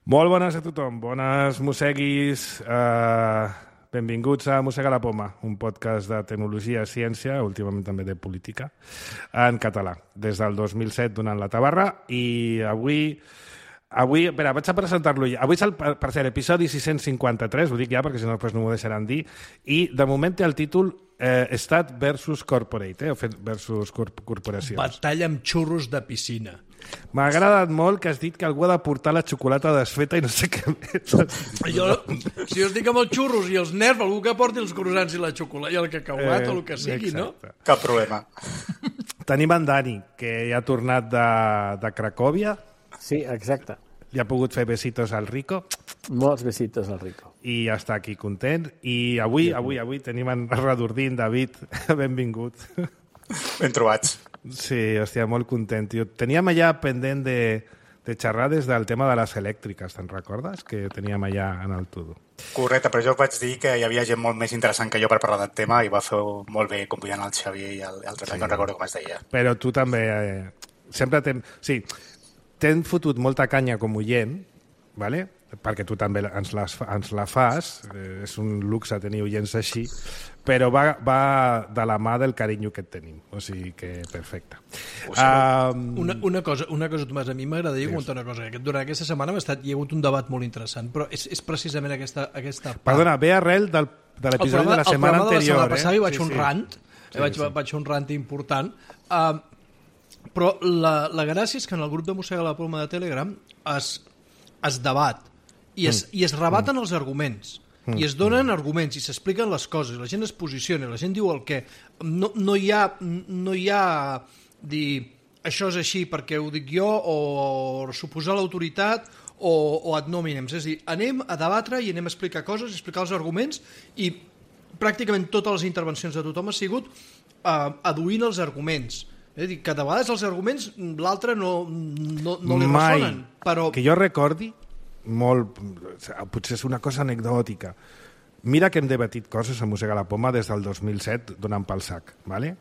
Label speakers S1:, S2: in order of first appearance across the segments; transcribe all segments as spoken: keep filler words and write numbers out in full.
S1: Molt bones a tothom, bones mosseguis, eh, benvinguts a Mossega la Poma, un podcast de tecnologia, ciència, últimament també de política, en català, des del dos mil set donant la tabarra, i avui... Avui, espera, vaig a presentar-lo ja. Avui és el, per cert, episodi sis cents cinquanta-tres, ho dic ja perquè si no després no m'ho deixaran dir, i de moment té el títol eh, Estat versus Corporate, eh, versus corp corporacions.
S2: Batalla amb xurros de piscina.
S1: M'ha agradat molt que has dit que algú ha de portar la xocolata desfeta i no sé què més.
S2: Jo, si jo estic amb els xurros i els nerds, algú que porti els croissants i la xocolata i el cacauat eh, o el que sigui,
S1: exacte.
S2: No?
S3: Cap problema.
S1: Tenim en Dani, que ja ha tornat de, de Cracòvia.
S4: Sí, exacte.
S1: Ja ha pogut fer besitos al Rico.
S4: Molts besitos al Rico.
S1: I ja està aquí content. I avui, avui, avui tenim en Redordín, David, benvingut.
S3: Ben trobats.
S1: Sí, hòstia, molt content, tio. Teníem allà pendent de, de xerrar des del tema de les elèctriques, te'n recordes? Que teníem allà en el Tudo.
S3: Correcte, però jo vaig dir que hi havia gent molt més interessant que jo per parlar del tema i va fer molt bé convidant el Xavier i el, el Trepet, sí. No recordo com es deia.
S1: Però tu també... Eh, sempre t'hem... Sí, t'hem fotut molta canya com oient, ¿vale? Perquè tu també ens, les, ens la fas, eh, és un luxe tenir oients així, però va, va de la mà del carinyo que et tenim, o sigui que perfecte.
S2: Um... Una, una cosa, una cosa, Tomàs, a mi m'agradaria sí. comentar una cosa, que durant aquesta setmana ha, estat, hi ha hagut un debat molt interessant, però és, és precisament aquesta, aquesta part.
S1: Perdona, ve arrel del, de l'episodi de la setmana anterior. El programa de la setmana passada
S2: hi vaig
S1: sí,
S2: un
S1: sí.
S2: rant,
S1: sí,
S2: vaig,
S1: sí.
S2: vaig fer un rant important, uh, però la, la gràcia és que en el grup de Mossega la Poma de Telegram es, es debat i es, mm. i es rebaten mm. els arguments mm. i es donen mm. arguments i s'expliquen les coses, la gent es posiciona, la gent diu el què. No, no hi ha, no hi ha dir això és així perquè ho dic jo o suposar l'autoritat o, o ad nominem. És a dir, anem a debatre i anem a explicar coses, explicar els arguments i pràcticament totes les intervencions de tothom ha sigut uh, aduint els arguments. És a dir, que de vegades els arguments l'altre no, no, no li
S1: Mai.
S2: ressonen. Però...
S1: Que jo recordi, molt, potser és una cosa anecdòtica, mira que hem debatit coses a Mossega la Poma des del dos mil set donant pel sac, ¿vale?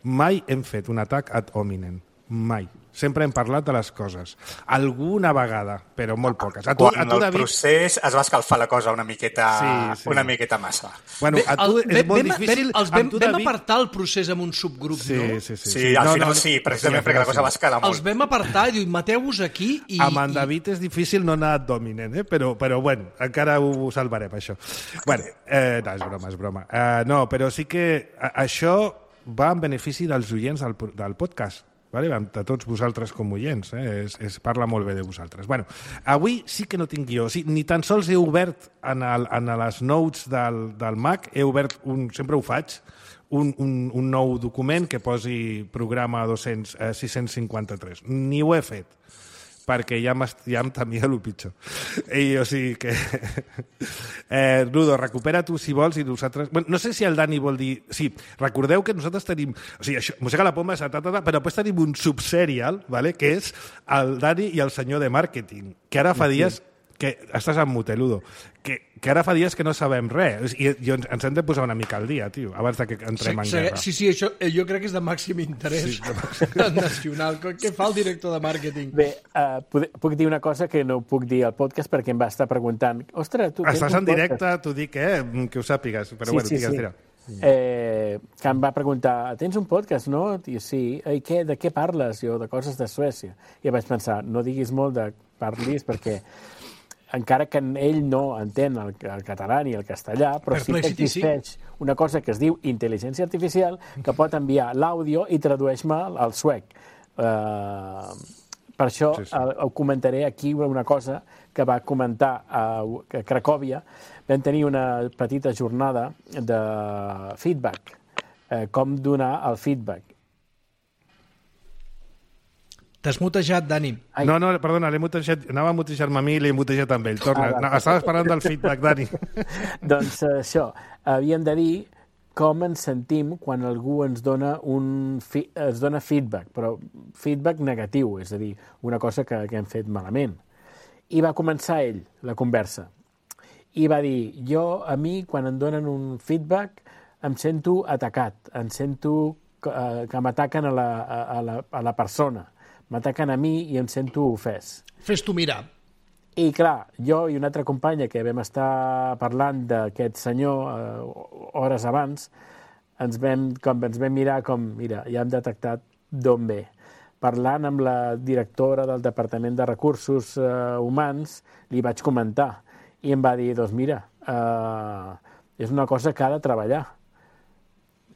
S1: Mai hem fet un atac ad hominem, mai. Sempre hem parlat de les coses. Alguna vegada, però molt poques. A tu,
S3: Quan
S1: a tu,
S3: el
S1: David...
S3: procés es va escalfar la cosa una miqueta,
S1: sí, sí.
S3: una miqueta massa.
S1: Bueno, a tu
S2: el,
S1: és molt
S2: vam,
S1: difícil...
S2: Vam, els vam,
S1: tu,
S2: vam
S1: David...
S2: apartar el procés amb un subgrup,
S1: sí,
S2: no?
S1: Sí, sí,
S3: sí.
S1: sí.
S3: Sí, al
S1: no,
S3: final
S1: no,
S3: sí, precisament sí, perquè la cosa va escalar molt.
S2: Els vam apartar i diu, mateu-vos aquí i...
S1: Amb en David és difícil no anar ad hominem, eh? però, però bueno, encara ho salvarem, això. Bueno, eh, no, és broma, és broma. Uh, no, però sí que això va en benefici dels oients del, del podcast. Vale? De tots vosaltres com oients, eh? es, es parla molt bé de vosaltres. Bueno, avui sí que no tinc guió, sí, ni tan sols he obert en, el, en les notes del, del Mac, he obert, un, sempre ho faig, un, un, un nou document que posi programa dos-cents, eh, sis-cents cinquanta-tres. Ni ho he fet, perquè ja, ja em temia el pitjor. I, o sigui que... eh, Rudo, recupera tu si vols i nosaltres... Bueno, no sé si el Dani vol dir... Sí, recordeu que nosaltres tenim... O sigui, això, Mossega la Poma, ta, ta, ta, però després tenim un subserial, ¿vale? Que és el Dani i el senyor de màrqueting, que ara fa dies... que estàs en muteludo, que, que ara fa dies que no sabem res, i, i ens, ens hem de posar una mica al dia, tio, abans de que entrem en guerra.
S2: Sí, sí, això jo crec que és de màxim interès sí, de nacional. Què fa el director de màrqueting?
S4: Bé, uh, puc, puc dir una cosa que no puc dir al podcast perquè em va estar preguntant. Ostres, tu tens
S1: Estàs
S4: un
S1: en directe, t'ho dic, eh? Que ho sàpigues, però
S4: sí,
S1: bueno,
S4: sí,
S1: digues,
S4: sí.
S1: tira.
S4: Eh, que em va preguntar, tens un podcast, no? I sí, i què, de què parles? Jo, de coses de Suècia. I vaig pensar, no diguis molt de parlis perquè encara que ell no entén el, el català ni el castellà, però sí que existeix sí. una cosa que es diu intel·ligència artificial que pot enviar l'àudio i tradueix-me al suec. Uh, per això sí, sí. Uh, comentaré aquí una cosa que va comentar a, a Cracòvia. Vam tenir una petita jornada de feedback, uh, com donar el feedback.
S2: T'has mutejat, Dani.
S4: Ai.
S1: No, no, perdona, l'he mutejat, anava a mutejar-me a mi i l'he mutejat amb ell. Torna, ah, no, estaves parlant del feedback, Dani.
S4: Doncs uh, això, havíem de dir com ens sentim quan algú ens dona, un fi es dona feedback, però feedback negatiu, és a dir, una cosa que, que hem fet malament. I va començar ell, la conversa. I va dir, jo, a mi, quan em donen un feedback, em sento atacat, em sento uh, que m'ataquen a, la, a, la, a la persona. M'ataquen a mi i em sento ofès.
S2: Fes tu mirar.
S4: I, clar, jo i una altra companya que vam estar parlant d'aquest senyor eh, hores abans, ens vam, com ens vam mirar com, mira, ja hem detectat d'on ve. Parlant amb la directora del Departament de Recursos eh, Humans, li vaig comentar i em va dir, doncs mira, eh, és una cosa que ha de treballar.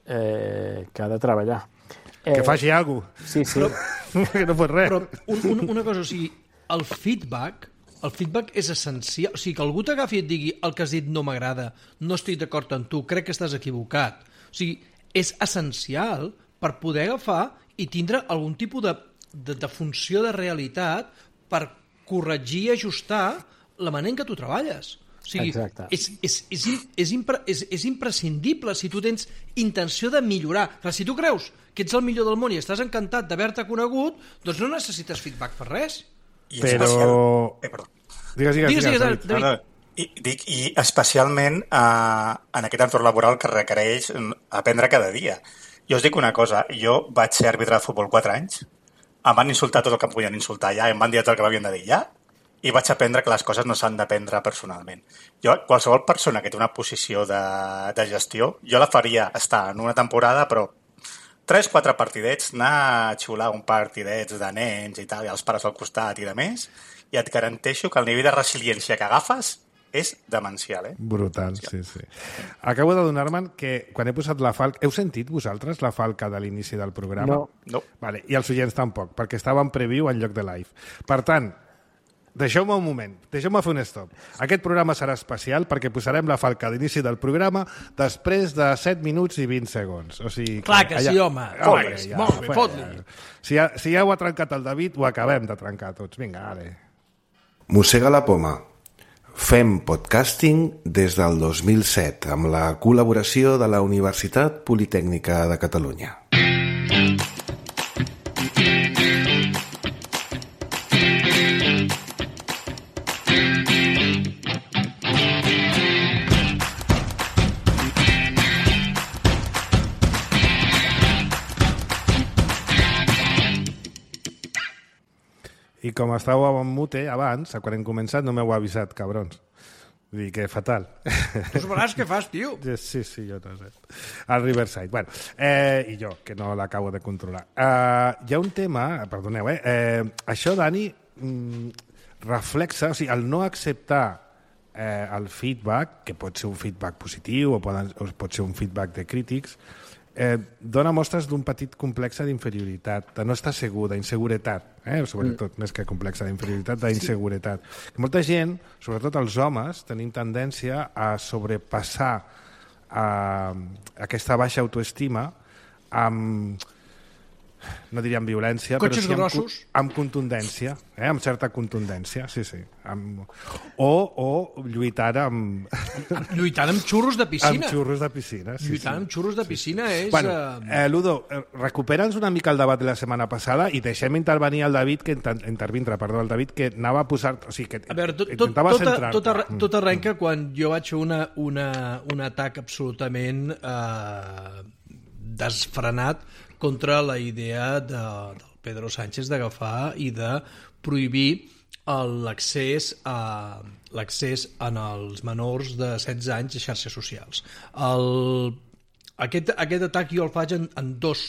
S4: Eh, que ha de treballar. Eh,
S1: que faci alguna cosa.
S4: Sí, sí.
S1: Però, que no fos res.
S2: Però un, un, una cosa, o sigui, el feedback, el feedback és essencial. O sigui, que algú t'agafi i et digui el que has dit no m'agrada, no estic d'acord amb tu, crec que estàs equivocat. O sigui, és essencial per poder agafar i tindre algun tipus de, de, de funció de realitat per corregir i ajustar la manera en què tu treballes. O sigui,
S4: Exacte.
S2: és, és, és, és, impre, és, és imprescindible si tu tens intenció de millorar. Clar, si tu creus que ets el millor del món i estàs encantat d'haver-te conegut, doncs no necessites feedback per res.
S3: I
S1: Però...
S3: especial... eh, perdó.
S1: Digues, digues,
S2: Digues,
S1: digues,
S2: digues,
S1: David.
S2: David.
S3: No, no. I, dic, I especialment eh, en aquest entorn laboral que requereix aprendre cada dia. Jo us dic una cosa, jo vaig ser àrbitre de futbol quatre anys, em van insultar tot el que em podien insultar ja, em van dir tot el que m'havien de dir ja, i vaig aprendre que les coses no s'han d'aprendre personalment. Jo, qualsevol persona que té una posició de, de gestió, jo la faria estar en una temporada, però tres, quatre partidets, anar a xiular un partidets de nens i tal, i els pares al costat i de més, i et garanteixo que el nivell de resiliència que agafes és demencial, eh?
S1: Brutal, sí, sí. Acabo de donar-me'n que quan he posat la falca... Heu sentit vosaltres la falca de l'inici del programa?
S4: No.
S3: No.
S1: Vale, i els oients tampoc, perquè estava en preview en lloc de live. Per tant, deixeu-me un moment, deixeu-me fer un stop. Aquest programa serà especial perquè posarem la falca d'inici del programa després de set minuts i vint segons. O sigui,
S2: Clar que sí, home.
S1: Clar
S2: Fot-li,
S1: que ja,
S2: molt bé,
S1: fot-
S2: fot-li.
S1: Si ja, si ja ho ha trencat el David, ho acabem de trencar tots. Vinga, ale.
S5: Mossega la poma. Fem podcasting des del dos mil set amb la col·laboració de la Universitat Politècnica de Catalunya.
S1: I com estàveu en mute abans, quan hem començat, no m'heu avisat, cabrons. Vull dir que fatal.
S2: Tu sabràs què fas, tio.
S1: Sí, sí, jo no sé. Al Riverside. Bueno, eh, i jo, que no l'acabo de controlar. Uh, hi ha un tema, perdoneu, eh? eh això, Dani, mm, reflexa, o sigui, el no acceptar eh, el feedback, que pot ser un feedback positiu o, poden, o pot ser un feedback de crítics, eh, dona mostres d'un petit complexe d'inferioritat, de no estar segur, d'inseguretat, eh? Sobretot, mm. més que complexe d'inferioritat, d'inseguretat. Sí. Molta gent, sobretot els homes, tenim tendència a sobrepassar eh, aquesta baixa autoestima amb, no diria amb violència,
S2: Cotxes
S1: però sí amb,
S2: grossos.
S1: amb contundència, eh? Amb certa contundència, sí, sí. Amb... O, o lluitar amb...
S2: Lluitant amb xurros de piscina.
S1: amb xurros de piscina. Sí,
S2: Lluitant
S1: sí.
S2: amb xurros de piscina és...
S1: Bueno,
S2: eh,
S1: eh, Ludo, eh, recupera'ns una mica el debat de la setmana passada i deixem intervenir el David, que inter intervindre, perdó, el David, que anava a posar... O sigui, que
S2: A veure, tot, tot,
S1: intentava
S2: tot,
S1: centrar-te.
S2: tot, arre, tot arrenca quan jo vaig fer una, una, un atac absolutament eh, desfrenat contra la idea de, del Pedro Sánchez d'agafar i de prohibir l'accés a l'accés en els menors de setze anys a xarxes socials. El, aquest, aquest atac jo el faig en, en dos,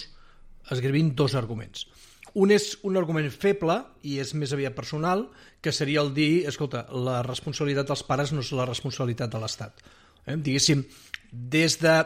S2: escrivint dos arguments. Un és un argument feble i és més aviat personal, que seria el dir, escolta, la responsabilitat dels pares no és la responsabilitat de l'Estat. Eh? Diguéssim, des, de,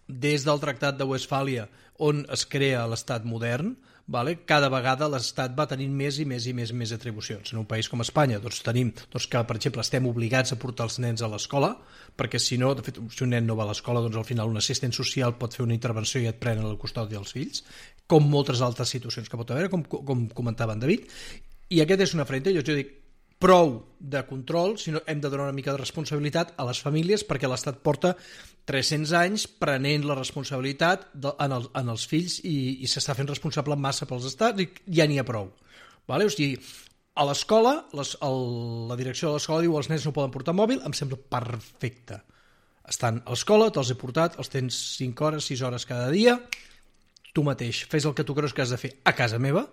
S2: des del Tractat de Westfàlia, on es crea l'Estat modern, vale? Cada vegada l'Estat va tenint més i més i més i més atribucions. En un país com Espanya doncs, tenim doncs, que, per exemple, estem obligats a portar els nens a l'escola, perquè si no, de fet, si un nen no va a l'escola, doncs al final un assistent social pot fer una intervenció i et prenen el custodi dels fills, com moltes altres situacions que pot haver, com, com comentava en David, i aquest és una frente, jo, jo dic, prou de control, sinó hem de donar una mica de responsabilitat a les famílies perquè l'Estat porta tres-cents anys prenent la responsabilitat de, en, el, en els fills i, i s'està fent responsable en massa pels estats i ja n'hi ha prou. Vale? O sigui, a l'escola, les, el, la direcció de l'escola diu els nens no poden portar mòbil, em sembla perfecte. Estan a l'escola, te'ls he portat, els tens cinc hores, sis hores cada dia, tu mateix fes el que tu creus que has de fer a casa meva,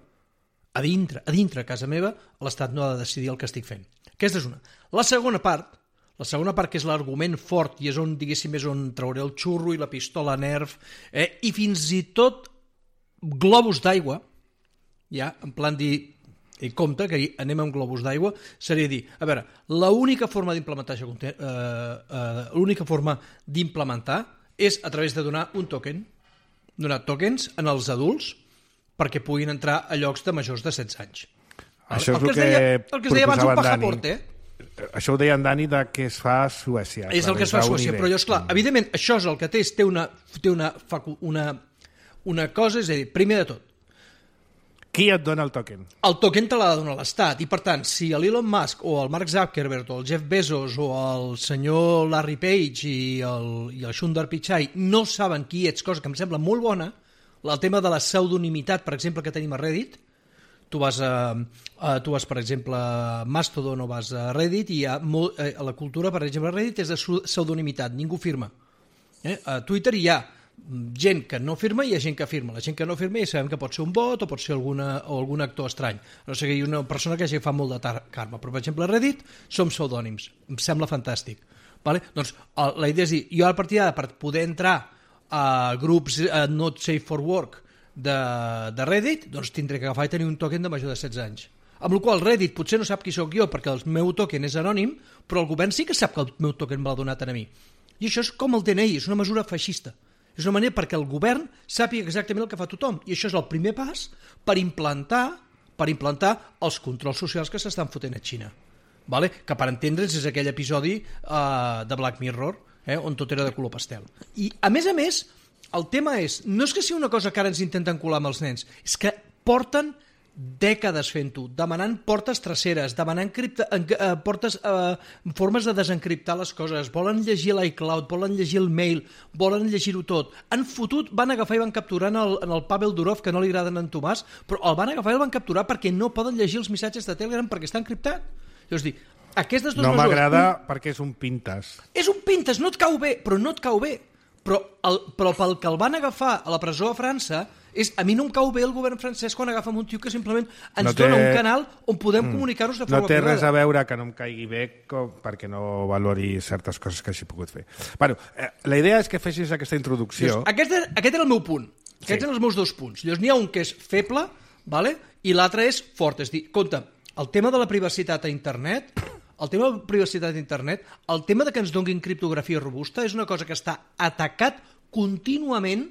S2: a dintre, a dintre a casa meva, l'Estat no ha de decidir el que estic fent. Aquesta és una. La segona part, la segona part que és l'argument fort i és on, diguéssim, és on trauré el xurro i la pistola Nerf, eh, i fins i tot globus d'aigua, ja, en plan dir, i compte que anem amb globus d'aigua, seria dir, a veure, l'única forma d'implementar això, eh, eh, l'única forma d'implementar és a través de donar un token, donar tokens en els adults perquè puguin entrar a llocs de majors de setze anys.
S1: Això és
S2: el, que
S1: el que,
S2: deia, el que es deia abans un passaporte, eh?
S1: Això ho deia en Dani de que es fa a Suècia.
S2: És el que es fa a Suècia, però jo, esclar, evidentment, això és el que té, té una, té una, una, una cosa, és a dir, primer de tot,
S1: qui et dona el token?
S2: El token te l'ha de donar l'Estat, i per tant, si l'Elon Musk o el Mark Zuckerberg o el Jeff Bezos o el senyor Larry Page i el, i el Sundar Pichai no saben qui ets, cosa que em sembla molt bona, el tema de la pseudonimitat, per exemple, que tenim a Reddit, tu vas, a, a, tu vas per exemple, a Mastodon o vas a Reddit i hi ha molt, eh, la cultura, per exemple, a Reddit és de pseudonimitat, ningú firma. Eh? A Twitter hi ha gent que no firma i hi ha gent que firma. La gent que no firma ja sabem que pot ser un bot o pot ser alguna, o algun actor estrany. No sé que hi ha una persona que ja fa molt de karma, però per exemple a Reddit som pseudònims. Em sembla fantàstic. Vale? Doncs la idea és dir, jo a partir d'ara per poder entrar a grups uh, not safe for work de, de Reddit, doncs tindré que agafar i tenir un token de major de setze anys. Amb la qual Reddit potser no sap qui sóc jo perquè el meu token és anònim, però el govern sí que sap que el meu token me l'ha donat a mi. I això és com el D N I, és una mesura feixista. És una manera perquè el govern sàpiga exactament el que fa tothom. I això és el primer pas per implantar, per implantar els controls socials que s'estan fotent a Xina. Vale? Que per entendre's és aquell episodi uh, de Black Mirror, eh, on tot era de color pastel. I, a més a més, el tema és, no és que sigui una cosa que ara ens intenten colar amb els nens, és que porten dècades fent-ho, demanant portes traceres, demanant cripta, eh, portes, eh, formes de desencriptar les coses, volen llegir l'iCloud, volen llegir el mail, volen llegir-ho tot. Han fotut, van agafar i van capturar en el, en el Pavel Durov, que no li agraden a en Tomàs, però el van agafar i el van capturar perquè no poden llegir els missatges de Telegram perquè està encriptat. És dir, aquestes dues
S1: no
S2: mesures...
S1: m'agrada un... perquè és un pintes.
S2: És un pintes, no et cau bé, però no et cau bé. Però, el, però pel que el van agafar a la presó a França, és, a mi no em cau bé el govern francès quan agafa un tio que simplement ens no té... dona un canal on podem mm. comunicar-nos de forma
S1: privada. No té
S2: privada.
S1: res a veure que no em caigui bé com, perquè no valori certes coses que hagi pogut fer. Bueno, eh, la idea és que fessis aquesta introducció.
S2: Llavors, aquest, aquest era el meu punt. Aquests sí. eren els meus dos punts. Llavors n'hi ha un que és feble, vale? I l'altre és fort. És dir, compte, el tema de la privacitat a internet... El tema de la privacitat d'internet, el tema de que ens donin criptografia robusta és una cosa que està atacat contínuament,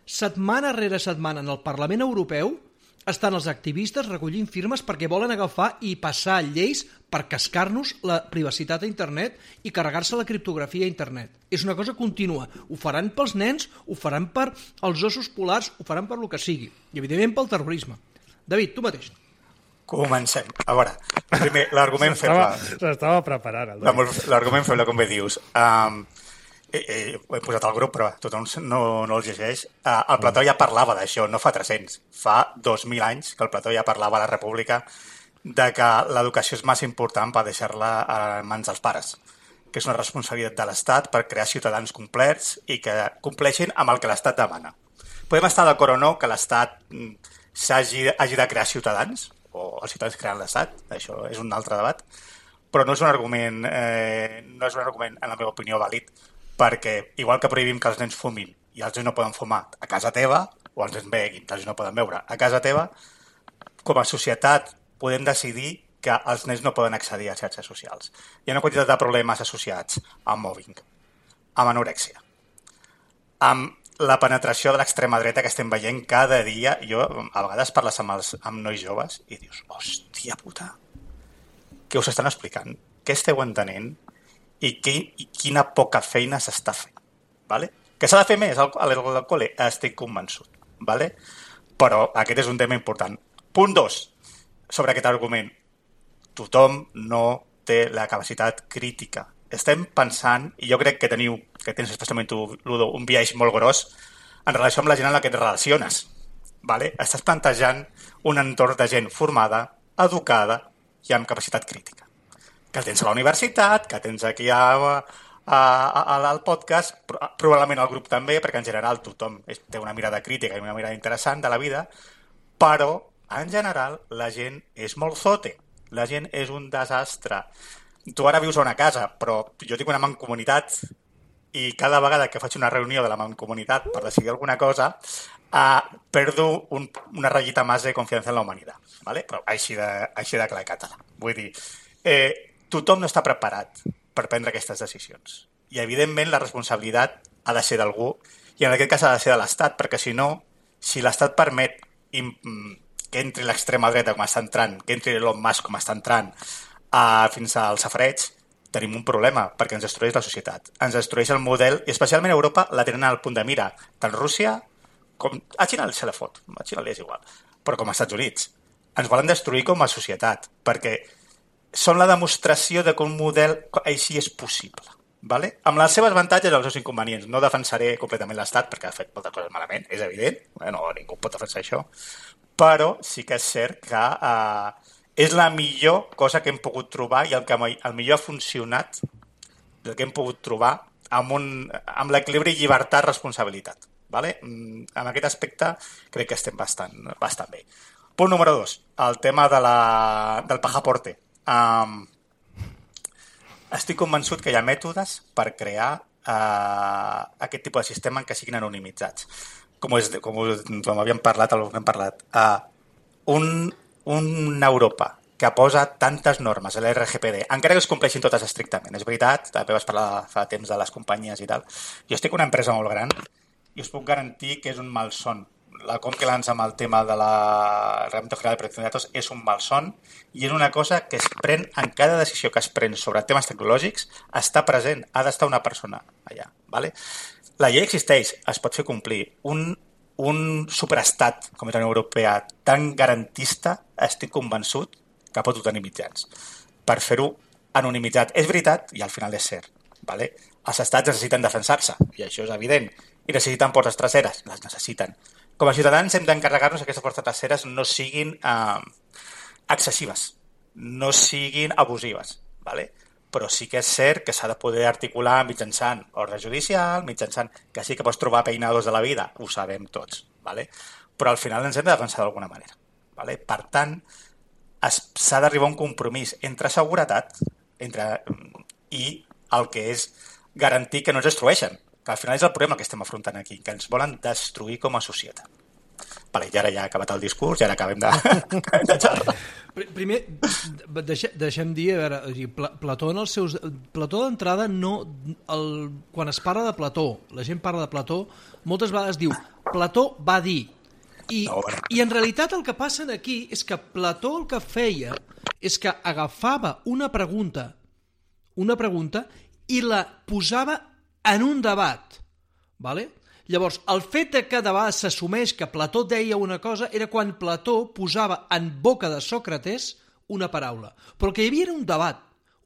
S2: setmana rere setmana en el Parlament Europeu, estan els activistes recollint firmes perquè volen agafar i passar lleis per cascar-nos la privacitat a internet i carregar-se la criptografia a internet. És una cosa contínua. Ho faran pels nens, ho faran per els ossos polars, ho faran per lo que sigui. I evidentment pel terrorisme. David, tu mateix.
S3: Comencem. A veure, primer, l'argument feble...
S1: S'estava preparant.
S3: L'argument feble, com bé dius. Um, eh, eh, ho he posat al grup, però tothom no, no els llegeix. Uh, el Plató ja parlava d'això, no fa tres-cents. Fa dos mil anys que el Plató ja parlava a la República de que l'educació és massa important per deixar-la a mans dels pares, que és una responsabilitat de l'Estat per crear ciutadans complets i que compleixin amb el que l'Estat demana. Podem estar d'acord o no que l'Estat s'hagi hagi de crear ciutadans, o els ciutadans creant l'Estat, això és un altre debat, però no és un argument, eh, no és un argument, en la meva opinió, vàlid, perquè igual que prohibim que els nens fumin i els nens no poden fumar a casa teva, o els nens beguin, els nens no poden beure a casa teva, com a societat podem decidir que els nens no poden accedir a xarxes socials. Hi ha una quantitat de problemes associats amb mobbing, amb anorèxia, amb la penetració de l'extrema dreta que estem veient cada dia. Jo, a vegades parles amb, els, amb nois joves i dius, hòstia puta, què us estan explicant? Què esteu entenent? I, qui, i quina poca feina s'està fent? Vale? Que s'ha de fer més al, al, al col·le? Estic convençut. Vale? Però aquest és un tema important. Punt dos, sobre aquest argument. Tothom no té la capacitat crítica. Estem pensant, i jo crec que teniu, que tens especialment tu, Ludo, un biaix molt gros en relació amb la gent amb la que et relaciones. Vale? Estàs plantejant un entorn de gent formada, educada i amb capacitat crítica. Que tens a la universitat, que tens aquí a, a, a, al podcast, probablement al grup també, perquè en general tothom té una mirada crítica i una mirada interessant de la vida, però en general la gent és molt zote. La gent és un desastre. Tu ara vius a una casa, però jo tinc una mancomunitat i cada vegada que faig una reunió de la mancomunitat per decidir alguna cosa, uh, perdo un, una ratllita més de confiança en la humanitat. ¿Vale? Però així de, així de clar i català. Vull dir, eh, tothom no està preparat per prendre aquestes decisions. I, evidentment, la responsabilitat ha de ser d'algú, i en aquest cas ha de ser de l'Estat, perquè si no, si l'Estat permet que entri l'extrema dreta com està entrant, que entri Elon Musk com està entrant, uh, fins al safareig, tenim un problema, perquè ens destrueix la societat. Ens destrueix el model, i especialment a Europa la tenen al punt de mira. Tant Rússia com... A Xina se la fot, a Xina li és igual, però com als Estats Units. Ens volen destruir com a societat, perquè són la demostració de que un model així és possible. Vale? Amb les seves avantatges i els seus inconvenients. No defensaré completament l'Estat perquè ha fet moltes coses malament, és evident, no, ningú pot defensar això, però sí que és cert que eh, és la millor cosa que hem pogut trobar i el que el millor ha funcionat del que hem pogut trobar amb, un, amb l'equilibri llibertat-responsabilitat. Vale? En aquest aspecte crec que estem bastant, bastant bé. Punt número dos, el tema de la, del pajaporte. Um, Estic convençut que hi ha mètodes per crear uh, aquest tipus de sistema en què siguin anonimitzats. Com, és, com, com havíem parlat, el que hem parlat. Uh, un, una Europa que posa tantes normes a l'R G P D, encara que es compleixin totes estrictament. És veritat, també vas parlar fa temps de les companyies i tal. Jo estic en una empresa molt gran i us puc garantir que és un malson. La Compliance amb el tema de la Reglamento General de Protección de Datos és un malson i és una cosa que es pren en cada decisió que es pren sobre temes tecnològics, està present, ha d'estar una persona allà. ¿Vale? La llei existeix, es pot fer complir. Un, un superestat com és la Unió Europea tan garantista, estic convençut que pot tenir mitjans per fer-ho anonimitzat. És veritat i al final és cert. ¿Vale? Els estats necessiten defensar-se i això és evident i necessiten portes traseres, les necessiten. Com a ciutadans hem d'encarregar-nos que aquestes portes traseres no siguin eh, excessives, no siguin abusives, ¿vale? Però sí que és cert que s'ha de poder articular mitjançant ordre judicial, mitjançant que sí que pots trobar peinados de la vida, ho sabem tots, ¿vale? Però al final ens hem de defensar d'alguna manera, ¿vale? Per tant, s'ha d'arribar a un compromís entre seguretat entre, i el que és garantir que no ens destrueixen, que al final és el problema que estem afrontant aquí, que ens volen destruir com a societat. Vale, i ara ja ha acabat el discurs i ara acabem de, de xerrar.
S2: Primer, deixem, deixem dir, a veure, Plató en els seus... Plató d'entrada no... El, quan es parla de Plató, la gent parla de Plató, moltes vegades diu Plató va dir. I, no, bueno. I en realitat el que passa aquí és que Plató el que feia és que agafava una pregunta, una pregunta i la posava en un debat, ¿vale? Llavors, el fet que de vegades s'assumeix que Plató deia una cosa era quan Plató posava en boca de Sòcrates una paraula. Però que hi havia un debat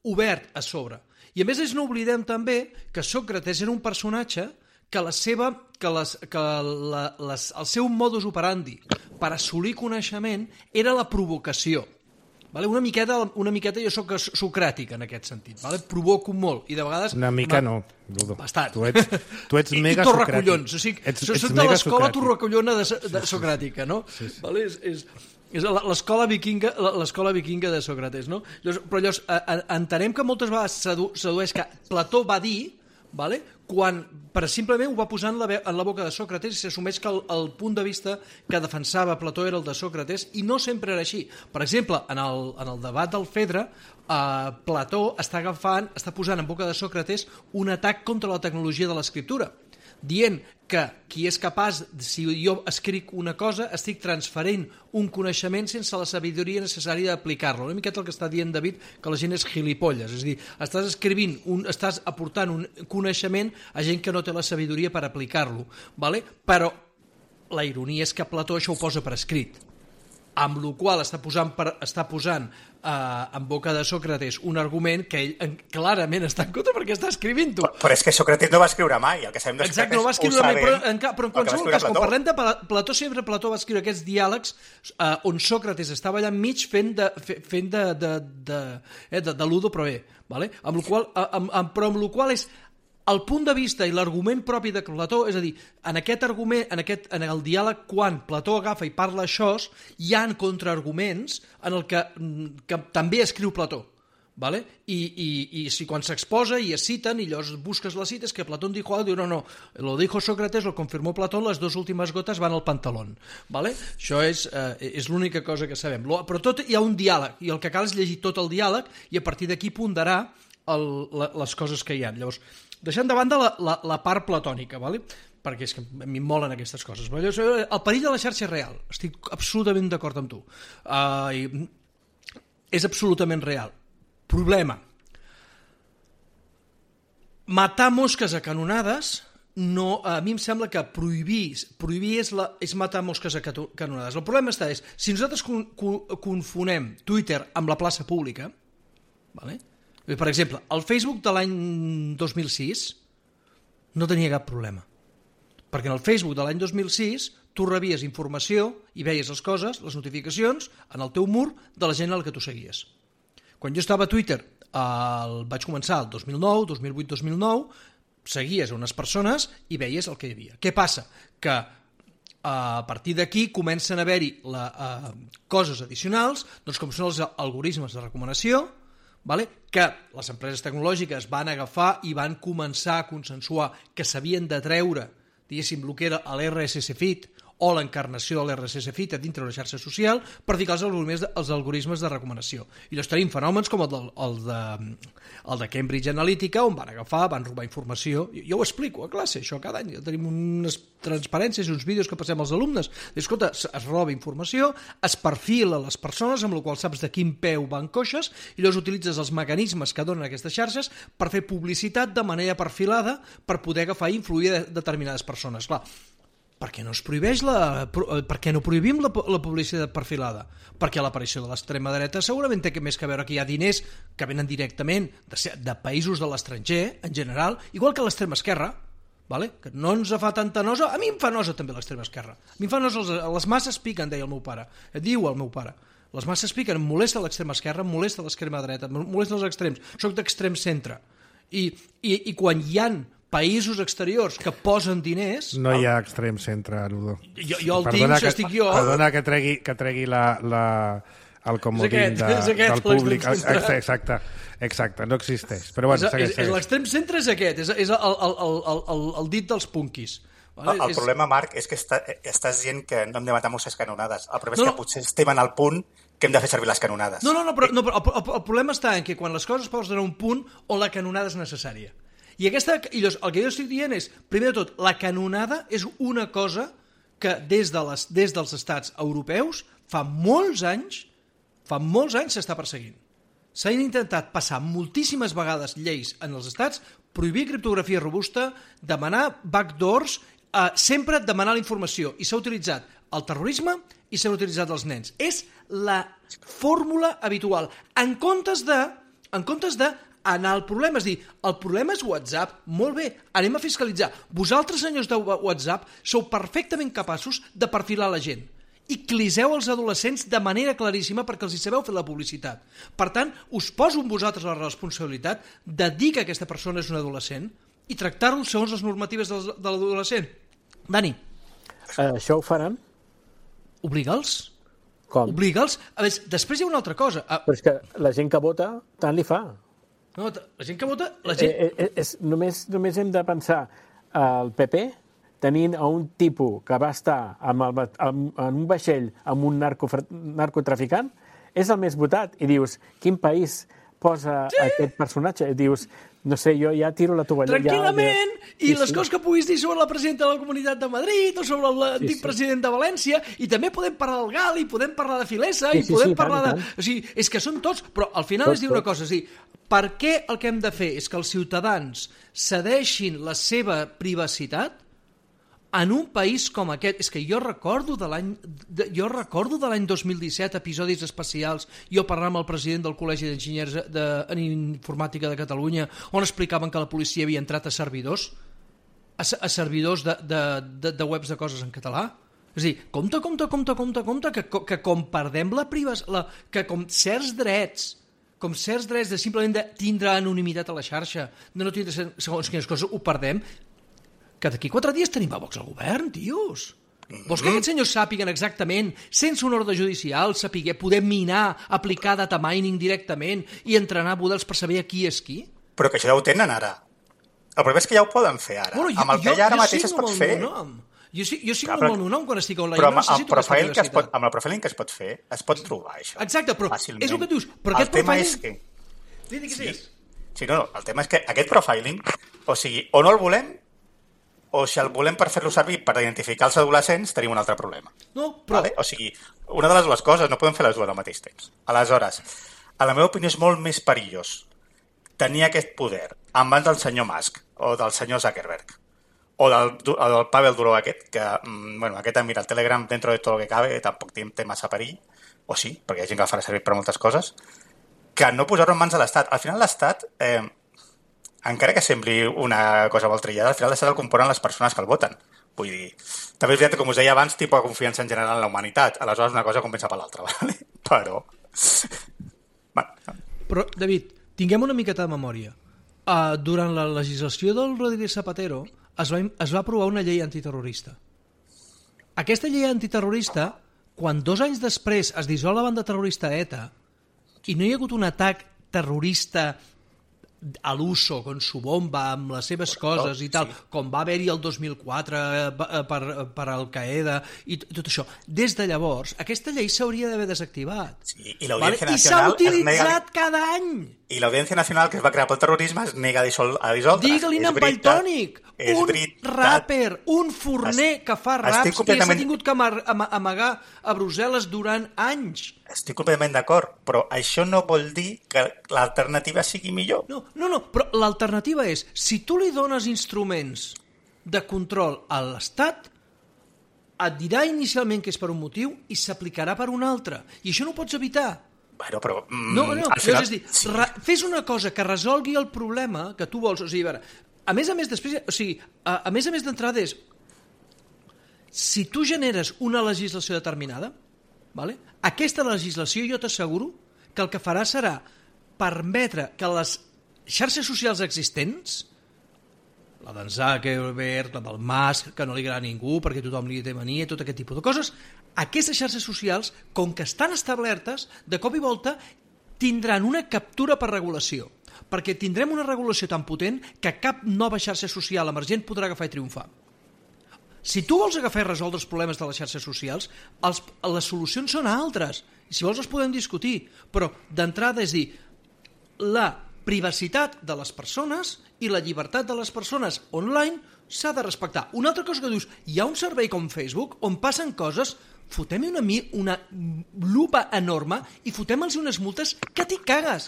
S2: obert a sobre. I a més no oblidem també que Sòcrates era un personatge que la seva, que les, que la, les, el seu modus operandi per assolir coneixement era la provocació. Vale? Una miqueta, una miqueta jo soc socràtic en aquest sentit, vale? Provoco molt i de vegades...
S1: Una mica una... no, Ludo.
S2: Bastant.
S1: Tu ets, tu ets mega
S2: I, i
S1: socràtic.
S2: o sigui, ets, ets soc de l'escola torracollona de, de socràtica, no? Sí, sí. Vale? És, és, és l'escola vikinga, l'escola vikinga de Sòcrates, no? Llavors, però llavors entenem que moltes vegades s'adueix que Plató va dir, vale? Quan per simplement ho va posar en la, en la boca de Sòcrates i s'assumeix que el, el punt de vista que defensava Plató era el de Sòcrates i no sempre era així. Per exemple, en el, en el debat del Fedre, eh, Plató està agafant, està posant en boca de Sòcrates un atac contra la tecnologia de l'escriptura, dient que qui és capaç, si jo escric una cosa, estic transferint un coneixement sense la sabidoria necessària d'aplicar-lo. Una miqueta el que està dient David, que la gent és gilipolles. És a dir, estàs escrivint, un, estàs aportant un coneixement a gent que no té la sabidoria per aplicar-lo. Vale? Però la ironia és que Plató això ho posa per escrit, amb la qual està posant, per, està posant eh, en boca de Sòcrates un argument que ell clarament està en contra perquè està escrivint-ho.
S3: Però, però és que Sòcrates no va escriure mai, el que sabem de Sòcrates.
S2: Exacte, no va escriure mai, però en, però en qualsevol cas, quan parlem de Plató, sempre Plató va escriure aquests diàlegs eh, on Sòcrates estava allà enmig fent de, fent de, de, de, eh, de, de Ludo Proé, vale? Amb lo qual, amb, amb, però amb el qual és el punt de vista i l'argument propi de Plató, és a dir, en aquest argument, en, aquest, en el diàleg, quan Plató agafa i parla això, hi ha contraarguments en el que, que també escriu Plató. Vale? I, i, i si quan s'exposa i es citen i llavors busques la cita és que Platón dijo algo, diu no, no, lo dijo Sócrates, lo confirmó Platón, les dues últimes gotes van al pantalón, vale? Això és, eh, és l'única cosa que sabem, però tot hi ha un diàleg i el que cal és llegir tot el diàleg i a partir d'aquí ponderar el, la, les coses que hi ha. Llavors, deixant de banda la, la, la part platònica, vale? Perquè és que a mi em molen aquestes coses. El perill de la xarxa és real, estic absolutament d'acord amb tu, uh, i és absolutament real. Problema. Matar mosques a canonades, no, a mi em sembla que prohibir, prohibir és, la, és matar mosques a canonades. El problema està és, si nosaltres con, con, confonem Twitter amb la plaça pública, vale? Per exemple, el Facebook de l'any dos mil sis no tenia cap problema, perquè en el Facebook de l'any dos mil sis tu rebies informació i veies les coses, les notificacions, en el teu mur de la gent a la que tu seguies. Quan jo estava a Twitter, el vaig començar el dos mil nou, dos mil vuit, dos mil nou, seguies unes persones i veies el que hi havia. Què passa? Que a partir d'aquí comencen a haver-hi la, uh, coses addicionals, doncs com són els algoritmes de recomanació, vale? Que les empreses tecnològiques van agafar i van començar a consensuar que s'havien de treure, diguéssim, el que era l'R S S Feed, o l'encarnació de l'R S S Feed a dintre de la xarxa social per ficar els algoritmes, de, els algoritmes de recomanació. I llavors tenim fenòmens com el de, el, de, el de Cambridge Analytica, on van agafar, van robar informació. Jo, jo ho explico a classe, això cada any. Tenim unes transparències i uns vídeos que passem als alumnes. I, escolta, es roba informació, es perfila les persones, amb la qual saps de quin peu van coixes, i llavors utilitzes els mecanismes que donen aquestes xarxes per fer publicitat de manera perfilada per poder agafar i influir de determinades persones. Clar, per què no es prohibeix la, per què no prohibim la, la publicitat perfilada? Perquè l'aparició de l'extrema dreta segurament té més que veure que hi ha diners que venen directament de, de països de l'estranger, en general, igual que l'extrema esquerra, vale? Que no ens fa tanta nosa, a mi em fa nosa també l'extrema esquerra, a mi em fa nosa, les masses piquen, deia el meu pare, diu el meu pare, les masses piquen, em molesta l'extrema esquerra, em molesta l'extrema dreta, em molesta els extrems, soc d'extrem centre, i, i, i quan hi han països exteriors que posen diners...
S1: No hi ha extrem centre, Ludo.
S2: Jo, jo el perdona tinc, que, estic jo...
S1: Perdona que tregui, que tregui la, la, el comodín de, del públic. Exacte, exacte, no existeix. Però bueno,
S2: és, és, és l'extrem centre és aquest, és, és el, el, el, el, el dit dels punkis.
S3: Vale? El, el és... problema, Marc, és que està, estàs dient que no hem de matar mosques canonades. El problema no, és que no. potser estem en el punt que hem de fer servir les canonades.
S2: No, no, no, però, no, però el, el, el problema està en que quan les coses posen a un punt on la canonada és necessària. I, aquesta, i llavors, el que jo estic dient és, primer de tot, la canonada és una cosa que des, de les, des dels estats europeus fa molts anys, fa molts anys s'està perseguint. S'han intentat passar moltíssimes vegades lleis en els estats, prohibir criptografia robusta, demanar backdoors, eh, sempre demanar la informació. I s'ha utilitzat el terrorisme i s'han utilitzat els nens. És la fórmula habitual. En comptes de... En comptes de anar al problema, és dir, el problema és WhatsApp, molt bé, anem a fiscalitzar. Vosaltres, senyors de WhatsApp, sou perfectament capaços de perfilar la gent i cliseu els adolescents de manera claríssima perquè els hi sabeu fer la publicitat. Per tant, us poso amb vosaltres la responsabilitat de dir que aquesta persona és un adolescent i tractar-lo segons les normatives de l'adolescent. Dani.
S4: Uh, això ho faran?
S2: Obliga'ls.
S4: Com?
S2: Obliga'ls. A veure, després hi ha una altra cosa. Uh,
S4: Però és que la gent que vota tant li fa.
S2: No, la gent que vota... La gent...
S4: Eh, eh, és, només, només hem de pensar al P P tenint a un tipus que va estar amb el, amb, en un vaixell amb un narco, narcotraficant, és el més votat. I dius, quin país posa sí. aquest personatge? I dius, no sé, jo ja tiro la tovallera.
S2: Tranquil·lament,
S4: ja,
S2: i sí, les sí. coses que puguis dir sobre la presidenta de la Comunitat de Madrid o sobre l'antic sí, sí. president de València, i també podem parlar del Gali, podem parlar de Filesa, sí, i podem sí, sí, parlar tant, de... Tant. O sigui, és que són tots, però al final tot, es diu tot. una cosa, és dir, per què el que hem de fer és que els ciutadans cedeixin la seva privacitat en un país com aquest? És que jo recordo de l'any jo recordo de l'any dos mil disset episodis especials, jo parlant amb el president del Col·legi d'Enginyers de, en Informàtica de Catalunya, on explicaven que la policia havia entrat a servidors a, a servidors de, de, de, de webs de coses en català. És a dir, compte, compte, compte, compte, compte que, que com perdem la privacitat, que com certs drets com certs drets de simplement de tindre anonimitat a la xarxa, de no tindre segons quines coses, ho perdem, que d'aquí quatre dies tenim a Vox al govern, tios. Vols que aquests senyors sàpiguen exactament, sense un ordre judicial, sapiguer, poder minar, aplicar data mining directament i entrenar models per saber qui és qui?
S3: Però que això ja ho tenen ara. El problema és que ja ho poden fer ara.
S2: Bueno, jo,
S3: amb el que
S2: jo,
S3: ja ara
S2: jo
S3: mateix es pot fer...
S2: Jo, sí, jo signo amb el meu nom quan estic online.
S3: Però
S2: no necessito
S3: amb, profile
S2: aquesta
S3: que es pot, amb el profiling que es pot fer, es pot trobar això.
S2: Exacte, però
S3: fàcilment.
S2: És el que dius. Però
S3: el
S2: aquest
S3: tema
S2: profiling...
S3: és que...
S2: Sí, sí, sí.
S3: sí, no, no, el tema és que aquest profiling, o sigui, o no el volem, o si el volem per fer-lo servir per identificar els adolescents, tenim un altre problema.
S2: No, però...
S3: Vale? O sigui, una de les dues coses, no podem fer les dues al mateix temps. Aleshores, a la meva opinió és molt més perillós tenir aquest poder en mans del senyor Musk o del senyor Zuckerberg o del, o del Pavel Durov aquest, que, bueno, aquest, mira, el Telegram, dentro de tot el que cabe, tampoc té massa perill, o sí, perquè hi ha gent que el farà servir per moltes coses, que no posar-ho en mans de l'Estat. Al final l'Estat, eh, encara que sembli una cosa molt trillada, al final l'Estat el componen les persones que el voten. Vull dir, també és veritat, com us deia abans, tipus de confiança en general en la humanitat. Aleshores una cosa compensa per l'altra, ¿vale? Però... bueno.
S2: Però, David, tinguem una miqueta de memòria. Uh, durant la legislació del Rodríguez Zapatero es va, es va aprovar una llei antiterrorista. Aquesta llei antiterrorista, quan dos anys després es dissol la banda terrorista ETA i no hi ha hagut un atac terrorista a l'uso, con su bomba, amb les seves coses i tal, sí. Com va haver-hi el dos mil quatre per, per Al-Qaeda i tot això. Des de llavors, aquesta llei s'hauria d'haver desactivat.
S3: Sí, i l'Audiència
S2: vale?
S3: Nacional...
S2: I s'ha utilitzat
S3: nega...
S2: cada any.
S3: I l'Audiència Nacional, que es va crear pel terrorisme, es nega a, dissol... a dissoldre.
S2: Digue-li en Valtònic, un
S3: veritat.
S2: rapper, un forner es... que fa raps completament... que s'ha tingut que am amagar a Brussel·les durant anys.
S3: Estic completament d'acord, però això no vol dir que l'alternativa sigui millor.
S2: No, no, no, però l'alternativa és, si tu li dones instruments de control a l'Estat, et dirà inicialment que és per un motiu i s'aplicarà per un altre. I això no ho pots evitar.
S3: Bueno, però... Mm,
S2: no, no,
S3: al final,
S2: és a dir,
S3: sí.
S2: fes una cosa que resolgui el problema que tu vols. O sigui, a veure, a més a més, després, o sigui, a, a més a més d'entrada és, si tu generes una legislació determinada, vale? Aquesta legislació jo t'asseguro que el que farà serà permetre que les xarxes socials existents, la d'en Zuckerberg, la del Musk, que no li agrada a ningú perquè tothom li té mania, tot aquest tipus de coses, aquestes xarxes socials, com que estan establertes, de cop i volta tindran una captura per regulació, perquè tindrem una regulació tan potent que cap nova xarxa social emergent podrà agafar i triomfar. Si tu vols agafar i resoldre els problemes de les xarxes socials, els, les solucions són altres. I si vols els podem discutir, però d'entrada és dir, la privacitat de les persones i la llibertat de les persones online s'ha de respectar. Una altra cosa que dius, hi ha un servei com Facebook on passen coses, fotem-hi una, una lupa enorme i fotem-los unes multes que t'hi cagues.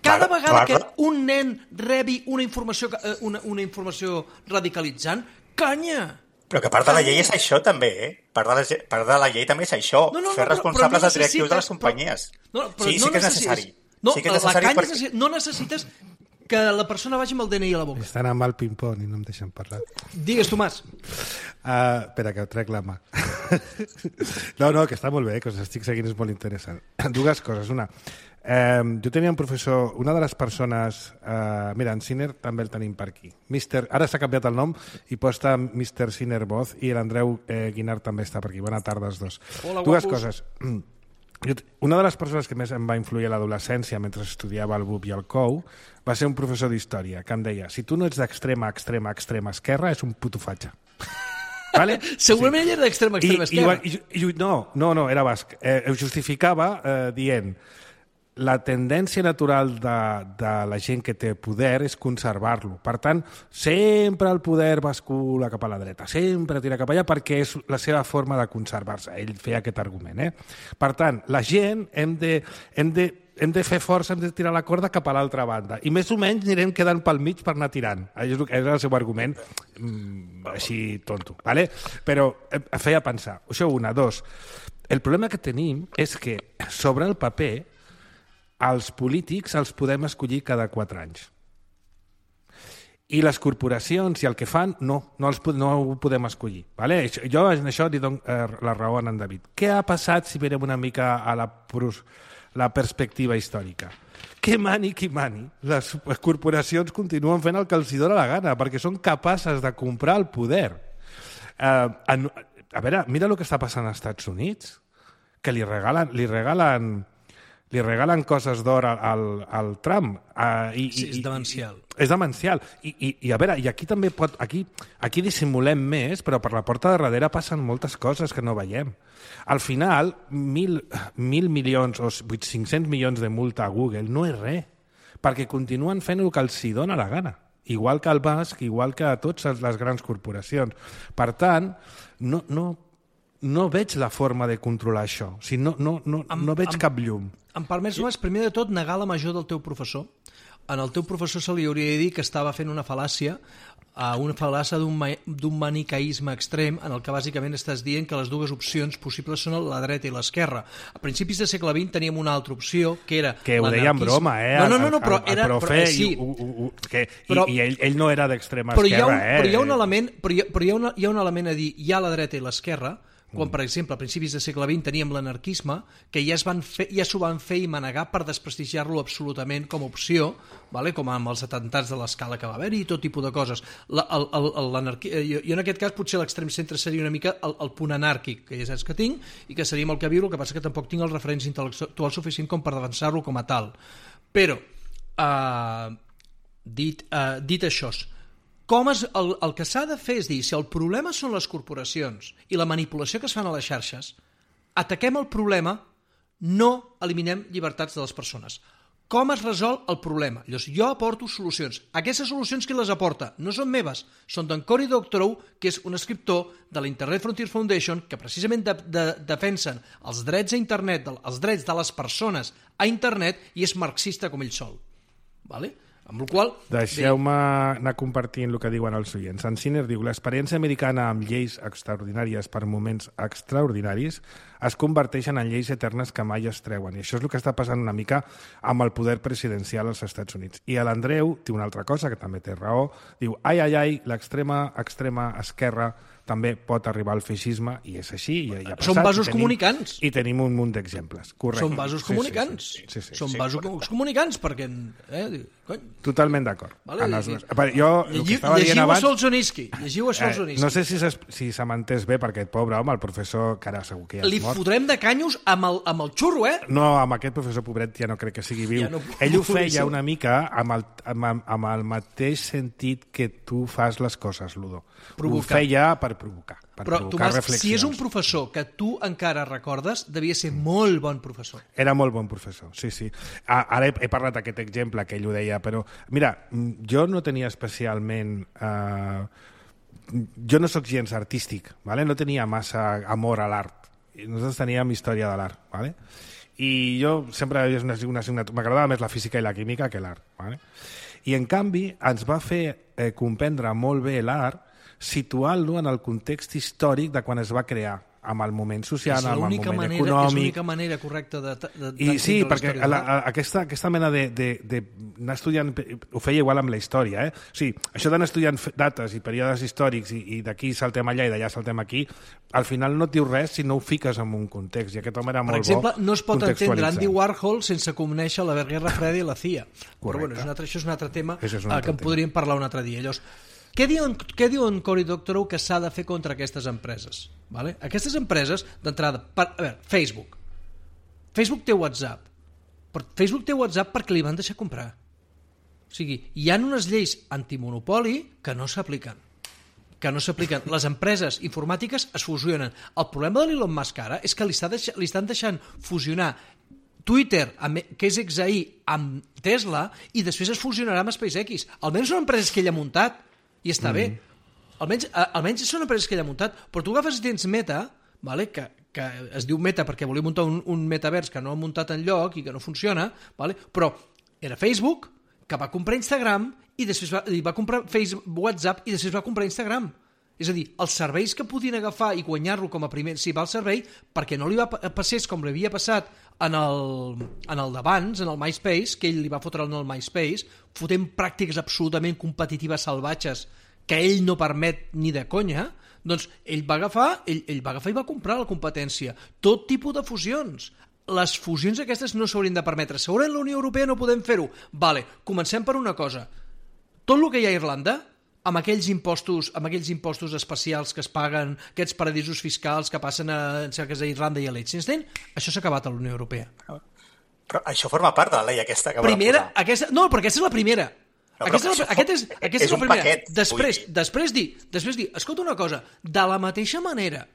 S2: Cada vegada que un nen rebi una informació, una, una informació radicalitzant, canya!
S3: Però que part de la llei és això també, eh? Part de la, part de la llei també és això, no, no, fer no, responsables no els directius de les companyies.
S2: Però, no, però
S3: sí,
S2: no
S3: sí que és necessari.
S2: No,
S3: sí que és necessari
S2: la canya
S3: perquè...
S2: no necessites que la persona vagi amb el D N I a la boca.
S1: Estan amb el ping-pong i no em deixen parlar.
S2: Digues, Tomàs.
S1: Uh, espera, que trec la mà. no, no, que està molt bé, que us estic seguint, és molt interessant. Dues coses. Una, eh, jo tenia un professor, una de les persones... Eh, mira, en Sinner també el tenim per aquí. Mister, ara s'ha canviat el nom i posta mister Sinner Boz i l'Andreu eh, Guinart també està per aquí. Bona tarda als dos.
S2: Hola,
S1: Dues
S2: guapos.
S1: coses. Una de les persones que més em va influir a l'adolescència mentre estudiava el B U P i el C O U va ser un professor d'història que em deia, si tu no ets d'extrema, extrema, extrema esquerra, és un puto fatxa. Vale?
S2: Segurament sí. Ell era d'extrema, extrema
S1: I,
S2: esquerra.
S1: I, i, i, no, no, no, era basc. Eh, ho justificava eh, dient la tendència natural de, de la gent que té poder és conservar-lo. Per tant, sempre el poder bascula cap a la dreta, sempre tira cap allà perquè és la seva forma de conservar-se. Ell feia aquest argument. Eh? Per tant, la gent hem de, hem de, hem de fer força, hem de tirar la corda cap a l'altra banda. I més o menys anirem quedant pel mig per anar tirant. És el seu argument mm, així tonto. ¿Vale? Però eh, feia pensar. Això una. Dos. El problema que tenim és que sobre el paper els polítics els podem escollir cada quatre anys. I les corporacions i el que fan, no, no, els, no ho podem escollir. Vale? Jo en això li dono eh, la raó a en David. Què ha passat si mirem una mica a la, la perspectiva històrica? que mani qui mani, les corporacions continuen fent el que els hi dóna la gana, perquè són capaces de comprar el poder. Uh, en, a veure, mira el que està passant als Estats Units, que li regalen, li regalen, li regalen coses d'or al, al Trump. Uh, i,
S2: sí, és demencial.
S1: I, és demencial. I, i, I a veure, i aquí també pot... Aquí, aquí dissimulem més, però per la porta de darrere passen moltes coses que no veiem. Al final, mil, mil milions o cinc-cents milions de multa a Google no és res, perquè continuen fent el que els hi dona la gana. Igual que el Musk, igual que a totes les grans corporacions. Per tant, no, no, no veig la forma de controlar això. O sigui, no, no, no,
S2: Em-
S1: no veig
S2: em-
S1: cap llum.
S2: Em permets, Mas, primer de tot, negar la major del teu professor. En el teu professor se li hauria de dir que estava fent una fal·làcia, uh, una fal·làcia d'un ma- d'un manicaïsme extrem, en el que bàsicament estàs dient que les dues opcions possibles són la dreta i l'esquerra. A principis del segle vint teníem una altra opció, que era
S1: Que ho deia en
S2: l'anarquisme.
S1: broma, eh?
S2: No, no, no, no
S1: el,
S2: però
S1: el, el
S2: era...
S1: profe,
S2: però, eh, sí,
S1: i, u, u, u, que,
S2: Però-
S1: i, i ell, ell no era d'extrema
S2: però hi ha
S1: esquerra,
S2: un,
S1: eh?
S2: però hi ha un element, però hi ha, però hi ha, una, hi ha un element a dir, hi ha la dreta i l'esquerra, quan, per exemple, a principis del segle vint teníem l'anarquisme, que ja es van fer, ja s'ho van fer i manegar per desprestigiar-lo absolutament com a opció, vale? Com amb els atentats de l'escala que va haver-hi i tot tipus de coses. La, el, el, el, l'anarqui... jo, jo en aquest cas potser l'extrem centre seria una mica el, el punt anàrquic, que ja saps que tinc, i que seria molt que viure, el que passa que tampoc tinc els referents intel·lectuals suficient com per defensar-lo com a tal. Però, uh, dit, uh, dit això, com es, el, el que s'ha de fer és dir, si el problema són les corporacions i la manipulació que es fan a les xarxes, ataquem el problema, no eliminem llibertats de les persones. Com es resol el problema? Llavors, jo aporto solucions. Aquestes solucions qui les aporta? No són meves, són d'en Cory Doctorow, que és un escriptor de la Internet Frontier Foundation, que precisament de, de, defensen els drets a internet, els drets de les persones a internet, i és marxista com ell sol. Vale? Amb la qual
S1: Deixeu-me anar compartint el que diuen els oients. En Sinner diu, l'experiència americana amb lleis extraordinàries per moments extraordinaris es converteixen en lleis eternes que mai es treuen. I això és el que està passant una mica amb el poder presidencial als Estats Units. I l'Andreu diu una altra cosa, que també té raó, diu, ai, ai, ai, l'extrema extrema esquerra també pot arribar al feixisme, i és així, i ja ha passat.
S2: Són vasos
S1: i tenim,
S2: comunicants.
S1: I tenim un munt d'exemples. Correcte.
S2: Són vasos comunicants.
S1: Sí, sí, sí. sí, sí.
S2: Són vasos comunicants, perquè... Eh, cony.
S1: Totalment d'acord.
S2: Vale,
S1: En els
S2: i-
S1: dos. A veure, jo el que
S2: Llegiu,
S1: estava dient
S2: llegiu a
S1: abans...
S2: Solzhenitsyn. Llegiu a Solzhenitsyn.
S1: Eh, no sé si, s'es- si se m'entès bé, perquè aquest pobre home, el professor, que ara segur que ja
S2: Li
S1: és mort...
S2: fotrem de canyos amb el, amb el xurro, eh?
S1: No, amb aquest professor pobret ja no crec que sigui viu.
S2: Ja no-
S1: Ell ho
S2: no
S1: feia
S2: ser.
S1: una mica amb el, amb, amb el mateix sentit que tu fas les coses, Ludo.
S2: Provocar.
S1: Ho feia per provocar, per
S2: Però,
S1: provocar
S2: Tomàs,
S1: reflexions.
S2: si és un professor que tu encara recordes, devia ser molt bon professor.
S1: Era molt bon professor, sí, sí. A- Ara he, he parlat d'aquest exemple que ell ho deia, però mira, mm, jo no tenia especialment... Eh, jo no sóc gens artístic, ¿vale? No tenia massa amor a l'art. I nosaltres teníem història de l'art, ¿vale? I jo sempre és una, una assignatura... M'agradava més la física i la química que l'art, ¿vale? I en canvi ens va fer eh, comprendre molt bé l'art situant-lo en el context històric de quan es va crear, amb el moment social,
S2: És
S1: amb el
S2: l'única
S1: moment
S2: manera, és
S1: econòmic...
S2: l'única manera correcta de, de, de
S1: I sí,
S2: d'entendre la
S1: perquè
S2: història de
S1: la,
S2: l'art.
S1: a, aquesta, aquesta mena de, de, de anar estudiant, ho feia igual amb la història, eh? O sigui, això d'anar estudiant f- dates i períodes històrics i, i d'aquí saltem allà i d'allà saltem aquí, al final no et diu res si no ho fiques en un context, i aquest home era
S2: Per
S1: molt
S2: exemple,
S1: bo
S2: no es pot entendre
S1: contextualitzant.
S2: Andy Warhol sense conèixer la Guerra Freda i la C I A. Però bueno,
S1: Correcte.
S2: és un altre, això és un altre tema
S1: Això és un
S2: eh,
S1: altre
S2: que en
S1: tema.
S2: podríem parlar un altre dia. Llavors, què diu, en- què diu en Cory Doctorow que s'ha de fer contra aquestes empreses? Vale? Aquestes empreses, d'entrada, per, a veure, Facebook. Facebook té WhatsApp. Però Facebook té WhatsApp perquè li van deixar comprar. O sigui, hi ha unes lleis antimonopoli que no s'apliquen. que no s'apliquen. Les empreses informàtiques es fusionen. El problema de l'Elon Musk ara és que li, està deix li estan deixant fusionar Twitter, amb, que és X A I, amb Tesla, i després es fusionarà amb SpaceX. Almenys són empreses que ell ha muntat, i està mm. bé. Almenys, a, almenys són empreses que ell ha muntat, però tu agafes i tens Meta, vale? que, que es diu Meta perquè volia muntar un, un metavers que no ha muntat enlloc i que no funciona, vale? Però era Facebook, que va comprar Instagram, i després va, i va comprar Facebook, WhatsApp, i després va comprar Instagram. És a dir, els serveis que podien agafar i guanyar-lo com a primer si va al servei, perquè no li va passés com li havia passat en el, en el d'abans, en el MySpace, que ell li va fotre en el MySpace, fotent pràctiques absolutament competitives salvatges que ell no permet ni de conya, doncs ell va agafar, ell, ell va agafar i va comprar la competència. Tot tipus de fusions. les fusions aquestes no s'haurien de permetre. Segurament la Unió Europea no podem fer-ho. Vale, comencem per una cosa. Tot el que hi ha a Irlanda, amb aquells impostos, amb aquells impostos especials que es paguen, aquests paradisos fiscals que passen a, en cerques a Irlanda i a Liechtenstein, això s'ha acabat a la Unió Europea.
S3: Però això forma part de la llei aquesta que
S2: primera,
S3: volen posar.
S2: Aquesta, no, perquè aquesta és la primera.
S3: No,
S2: aquesta és, la, aquest és, aquesta és,
S3: és
S2: la
S3: un
S2: primera.
S3: paquet.
S2: Després,
S3: Vull dir.
S2: després dir, després dir, escolta una cosa, de la mateixa manera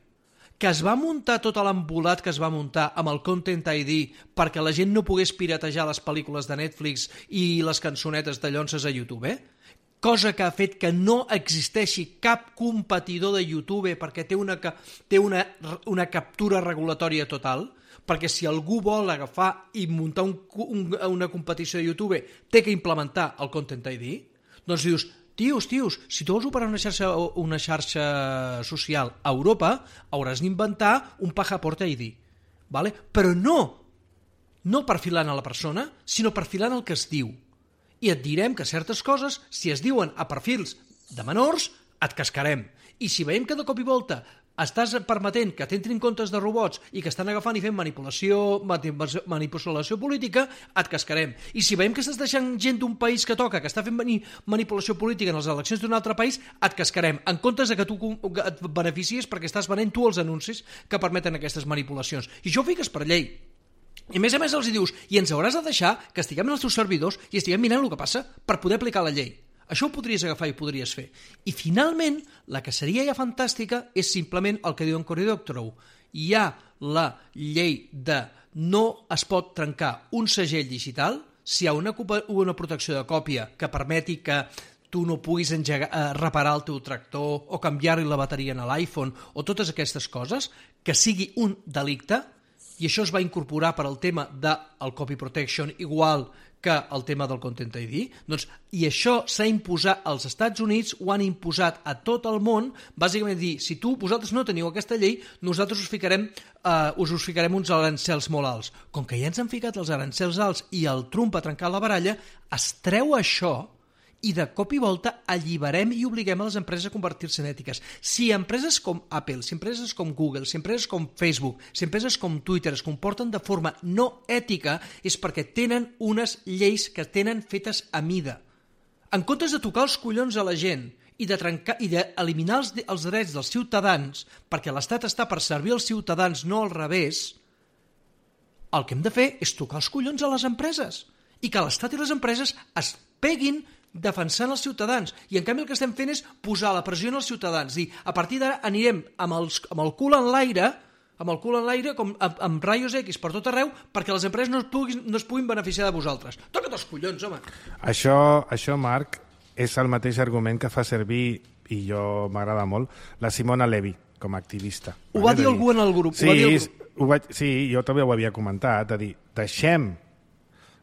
S2: que es va muntar tot l'embolat que es va muntar amb el Content I D perquè la gent no pogués piratejar les pel·lícules de Netflix i les cançonetes de llonces a YouTube, eh? Cosa que ha fet que no existeixi cap competidor de YouTube perquè té una, té una, una captura regulatòria total, perquè si algú vol agafar i muntar un, un, una competició de YouTube té que implementar el Content I D, doncs dius, tios, tios, si tu vols operar una xarxa, una xarxa social a Europa, hauràs d'inventar un Passport I D. Vale? Però no, no perfilant a la persona, sinó perfilant el que es diu. I et direm que certes coses, si es diuen a perfils de menors, et cascarem. I si veiem que de cop i volta estàs permetent que t'entrin comptes de robots i que estan agafant i fent manipulació, manipulació política, et cascarem. I si veiem que estàs deixant gent d'un país que toca, que està fent manipulació política en les eleccions d'un altre país, et cascarem, en comptes de que tu et beneficies perquè estàs venent tu els anuncis que permeten aquestes manipulacions. I això ho fiques per llei. I a més a més els hi dius, i ens hauràs de deixar que estiguem en els teus servidors i estiguem mirant el que passa per poder aplicar la llei. Això ho podries agafar i ho podries fer. I finalment, la que seria ja fantàstica és simplement el que diu en Cory Doctorow. Hi ha la llei de no es pot trencar un segell digital si hi ha una, una protecció de còpia que permeti que tu no puguis engegar, eh, reparar el teu tractor o canviar-li la bateria en l'iPhone o totes aquestes coses, que sigui un delicte, i això es va incorporar per al tema del copy protection igual que el tema del Content I D, doncs, i això s'ha imposat als Estats Units, ho han imposat a tot el món, bàsicament dir, si tu, vosaltres no teniu aquesta llei, nosaltres us ficarem, uh, us, us ficarem uns arancels molt alts. Com que ja ens han ficat els arancels alts i el Trump ha trencat la baralla, es treu això i de cop i volta alliberem i obliguem a les empreses a convertir-se en ètiques. Si empreses com Apple, si empreses com Google, si empreses com Facebook, si empreses com Twitter es comporten de forma no ètica, és perquè tenen unes lleis que tenen fetes a mida. En comptes de tocar els collons a la gent i de trencar i d'eliminar els, els drets dels ciutadans, perquè l'Estat està per servir als ciutadans, no al revés, el que hem de fer és tocar els collons a les empreses i que l'Estat i les empreses es peguin defensant els ciutadans, i en canvi el que estem fent és posar la pressió als ciutadans, dir, a partir d'ara anirem amb, els, amb el cul en l'aire, amb el cul en l'aire, com amb, amb raios X per tot arreu, perquè les empreses no es puguin, no es puguin beneficiar de vosaltres. Toca't els collons, home!
S1: Això, això, Marc, és el mateix argument que fa servir, i jo m'agrada molt, la Simona Levy, com a activista.
S2: Ho va dir algú en el grup.
S1: Sí,
S2: ho va dir el grup.
S1: Ho vaig, sí, jo també ho havia comentat, de dir, deixem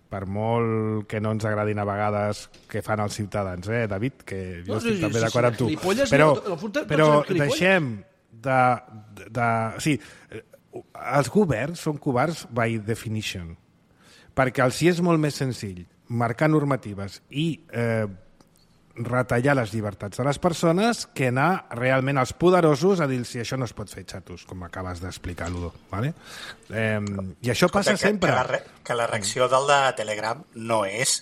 S1: per molt que no ens agradin a vegades que fan els ciutadans, eh, David, que jo no, estic sí, també sí, d'acord amb tu. Però, però deixem de, de, de... Sí, els governs són covards by definition, perquè els hi és molt més senzill marcar normatives i eh, retallar les llibertats de les persones que anar realment als poderosos a dir si això no es pot fer, xatos, com acabes d'explicar, Ludo. Vale? Eh, I això passa
S3: que,
S1: sempre.
S3: Que la, re, que la reacció del de Telegram no és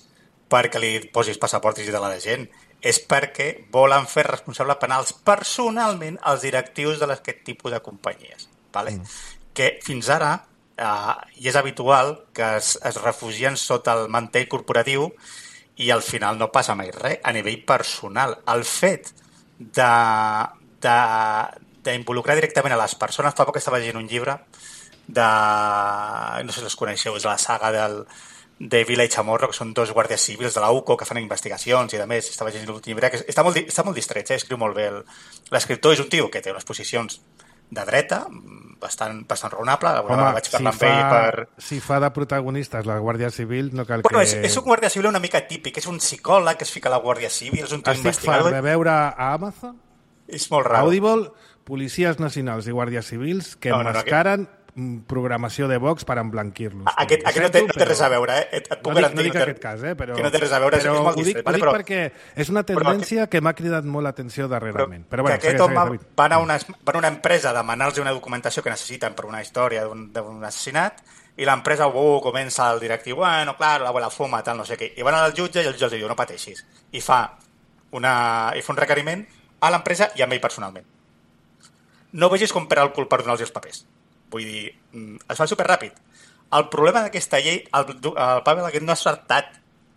S3: perquè li posis passaport digital a la gent, és perquè volen fer responsable penals personalment als directius d'aquest tipus de companyies. Vale? Mm. Que fins ara, eh, i és habitual que es, es refugien sota el mantell corporatiu i al final no passa mai res a nivell personal. El fet d'involucrar directament a les persones, fa poc estava llegint un llibre de, no sé si els coneixeu, és la saga del, de Vila i Chamorro, que són dos guàrdies civils de la U C O que fan investigacions i a més, estava llegint l'últim llibre, que està molt, està molt distret, eh? Escriu molt bé. L'escriptor és un tio que té unes posicions de dreta, bastant, bastant raonable.
S1: Home, vaig si, fa, per... si fa de protagonistes la Guàrdia Civil, no cal
S3: bueno,
S1: que...
S3: És, és un guàrdia civil una mica típic, és un psicòleg que es fica a la Guàrdia Civil, és un tio investigador.
S1: Estic fart de veure a Amazon,
S3: és molt raro.
S1: Audible, policies nacionals i guàrdies civils que no, no, emmascaren no, aquest... programació de Vox per emblanquir-los.
S3: Aquest, aquest no, té, no té res a veure, eh? Et, et puc
S1: no dic,
S3: garantir
S1: no dic
S3: que,
S1: aquest cas, eh? Però,
S3: que no té res a veure,
S1: però
S3: és molt
S1: ho dic,
S3: distret.
S1: Ho dic
S3: però,
S1: perquè és una tendència que m'ha cridat molt l'atenció darrerament. Però, però bueno,
S3: que aquest home va anar a una, va anar a una empresa a demanar-los una documentació que necessiten per una història d'un assassinat i l'empresa, uh, comença el directiu, bueno, clar, la, la fuma, tal, no sé què. I van al jutge i el jutge els diu, no pateixis. I fa, una, i fa un requeriment a l'empresa i a ell personalment. No vegis com perd el cul per donar-los els papers. Vull dir, es fa superràpid. El problema d'aquesta llei, el, el Pavel aquest no ha saltat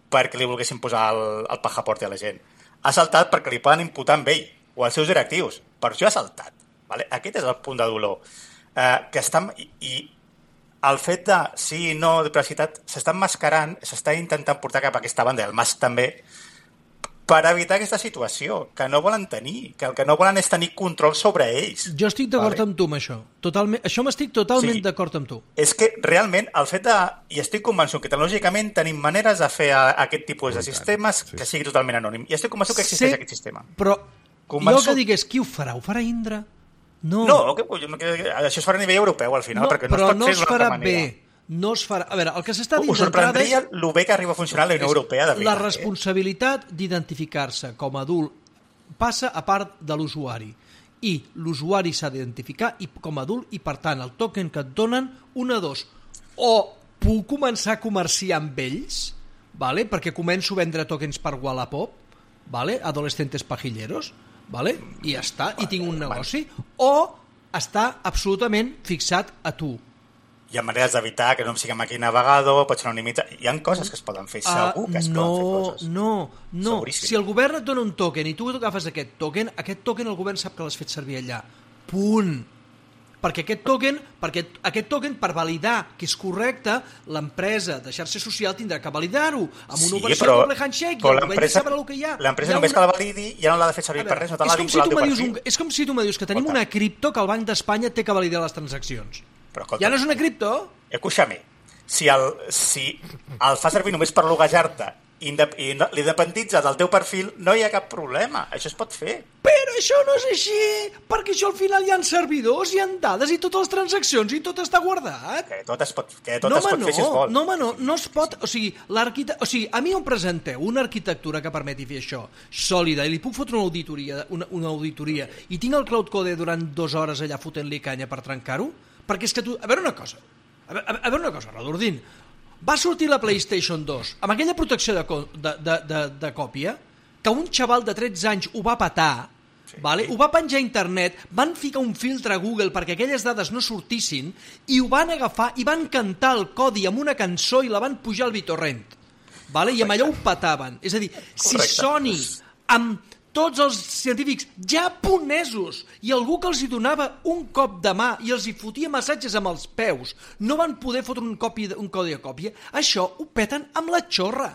S3: perquè li volguessin posar el, el passaporte a la gent. Ha saltat perquè li poden imputar amb ell o als seus directius. Per això ha saltat. Vale? Aquest és el punt de dolor. Eh, que estan, i, i el fet de sí, no, de privacitat, s'està emmascarant, s'està intentant portar cap a aquesta banda, el Mas també, per evitar aquesta situació, que no volen tenir, que el que no volen és tenir control sobre ells.
S2: Jo estic d'acord
S3: vale?
S2: amb tu amb això. Totalment, això m'estic totalment
S3: sí,
S2: d'acord amb tu.
S3: És que realment el fet de... I estic convençut que tecnològicament tenim maneres de fer a, a aquest tipus de sistemes sí. que sigui totalment anònim. I estic convençut que existeix sí, aquest sistema.
S2: Però
S3: convençut...
S2: jo que digués, qui ho farà? Ho farà Indra? No,
S3: no que, que, això es farà a nivell europeu al final,
S2: no,
S3: perquè no
S2: però
S3: es pot
S2: no
S3: fer
S2: es
S3: d'una
S2: farà
S3: altra manera.
S2: Bé. No es farà... A veure, el que s'està dient
S3: us sorprendria
S2: és...
S3: el bé que arriba a funcionar la Unió Europea de veritat.
S2: La responsabilitat eh? d'identificar-se com a adult passa a part de l'usuari. I l'usuari s'ha d'identificar com a adult i, per tant, el token que et donen, una, dos. O puc començar a comerciar amb ells, vale? Perquè començo a vendre tokens per Wallapop, vale? Adolescentes pajilleros, vale? I ja està, i tinc un negoci. O està absolutament fixat a tu.
S3: Hi ha maneres d'evitar que no em sigui aquí navegador, pot ser anonimitzat... Hi ha coses que es poden fer, segur que es
S2: uh, no,
S3: poden fer coses.
S2: No, no,
S3: Seguríssim.
S2: si el govern et dona un token i tu agafes aquest token, aquest token el govern sap que l'has fet servir allà. Punt. Perquè aquest token, perquè aquest token per validar que és correcte, l'empresa de xarxa social tindrà que validar-ho amb una
S3: sí,
S2: operació
S3: però,
S2: doble handshake
S3: però
S2: i el govern sabrà el que hi ha.
S3: L'empresa
S2: ha
S3: només
S2: una...
S3: que la validi ja no l'ha de fer servir
S2: veure,
S3: per res, no te l'ha
S2: és, com
S3: vinculat
S2: si
S3: al teu
S2: dius
S3: perfil.
S2: un, és com si tu me dius que tenim una cripto que el Banc d'Espanya té que validar les transaccions.
S3: Però, escolta,
S2: ja no és una cripto?
S3: Escúchame, si el, si el fa servir només per loguejar-te i l'independitza del teu perfil, no hi ha cap problema. Això es pot fer.
S2: Però això no és així, perquè això al final hi ha servidors, hi ha dades i totes les transaccions i tot està guardat.
S3: Que tot es pot, que tot
S2: no,
S3: es pot
S2: no,
S3: fer si es vol.
S2: No, home, no, no es pot... O sigui, o sigui, a mi em presenteu una arquitectura que permeti fer això, sòlida, i li puc fotre una auditoria, una, una auditoria i tinc el Cloud Code durant dues hores allà fotent-li canya per trencar-ho? Perquè és que tu... A veure una cosa, a veure, a veure una cosa, Radordín, va sortir la PlayStation dos amb aquella protecció de, de, de, de, de còpia que un xaval de tretze anys ho va petar, sí. Vale? Ho va penjar a internet, van ficar un filtre a Google perquè aquelles dades no sortissin i ho van agafar i van cantar el codi amb una cançó i la van pujar al BitTorrent, vale? I amb allò ho petaven. És a dir, si
S3: Correcte.
S2: Sony amb tots els científics japonesos i algú que els hi donava un cop de mà i els hi fotia massatges amb els peus no van poder fotre un, copi, un codi de còpia, això ho peten amb la xorra.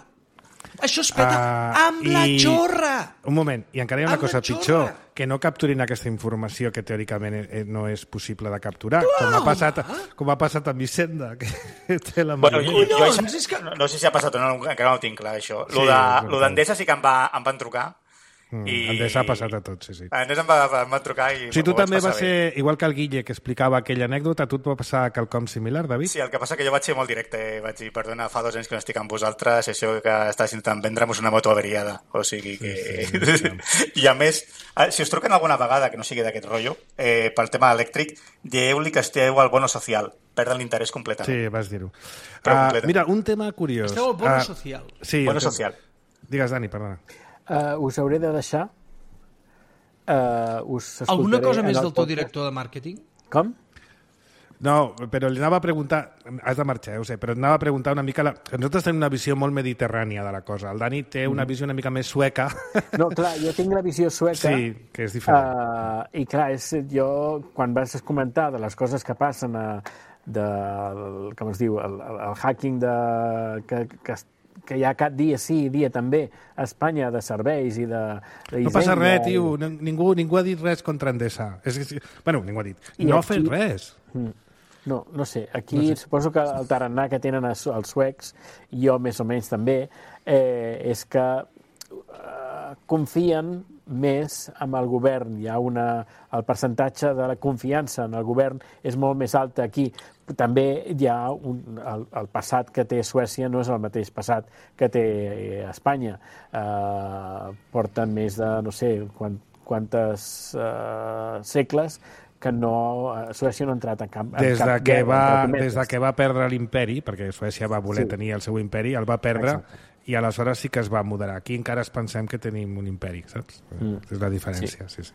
S2: Això es peta uh, amb i... la xorra.
S1: Un moment, i encara hi ha una
S2: amb
S1: cosa pitjor, que no capturin aquesta informació que teòricament no és possible de capturar,
S2: Clar,
S1: com ha passat, com ha passat amb Hisenda, que té la
S3: bueno, jo, jo, jo,
S2: és que...
S3: no, no sé si ha passat o no, encara no ho tinc clar, això.
S1: Sí,
S3: Lo d'Endesa sí que em, va, em van trucar.
S1: Mm,
S3: I...
S1: Endesa ha passat a tots, sí, sí.
S3: Endesa em va, em va trucar i...
S1: Sí, tu també va
S3: bé.
S1: ser, igual que el Guille, que explicava aquella anècdota, tu et va passar quelcom similar, David?
S3: Sí, el que passa que jo vaig ser molt directe, vaig dir, perdona, fa dos anys que no estic amb vosaltres, això que estàs intentant vendre'm una moto averiada, o sigui que... Sí, sí, sí. I a més, si us truquen alguna vegada que no sigui d'aquest rotllo, eh, pel tema elèctric, dieu-li que esteu al bono social, perden l'interès completament.
S1: Sí, vas dir-ho.
S3: Uh,
S1: mira, un tema curiós.
S2: Esteu al bono
S1: uh,
S2: social.
S1: Sí,
S3: bono
S1: tema...
S3: social.
S1: Digues, Dani, perdona.
S4: Uh, us hauré de deixar. Uh, us
S2: Alguna cosa més
S4: del
S2: teu director de màrqueting?
S4: Com?
S1: No, però li anava a preguntar... Has de marxar, ja ho sé, però anava a preguntar una mica... La... Nosaltres tenim una visió molt mediterrània de la cosa. El Dani té una visió una mica més sueca.
S4: No, clar, jo tinc la visió sueca.
S1: Sí, que és diferent.
S4: Uh, I clar, és, jo, quan vas comentar de les coses que passen a, de, com es diu, el, el, el hacking de, que, que, que hi ha cada dia sí, dia també, a Espanya, de serveis i de... de
S1: no passa res, tio. Ningú, ningú ha dit res contra Endesa. És, és, bueno, ningú ha dit. I no ha fet res.
S4: No, no sé. Aquí no sé. Suposo que el tarannà que tenen els, els suecs, jo més o menys també, eh, és que eh, confien més en el govern. Hi ha una... El percentatge de la confiança en el govern és molt més alt aquí. També hi ha un, el, el passat que té Suècia no és el mateix passat que té Espanya. Eh, porten més de, no sé, quant, quantes eh, segles que no, Suècia no ha entrat en cap, en
S1: des,
S4: cap
S1: de que
S4: guerra,
S1: va,
S4: entre cometes.
S1: des de que va perdre l'imperi, perquè Suècia va voler
S4: Sí.
S1: tenir el seu imperi, el va perdre,
S4: Exacte.
S1: i aleshores sí que es va moderar. Aquí encara es pensem que tenim un imperi, saps?
S4: Mm.
S1: És la diferència, sí, sí.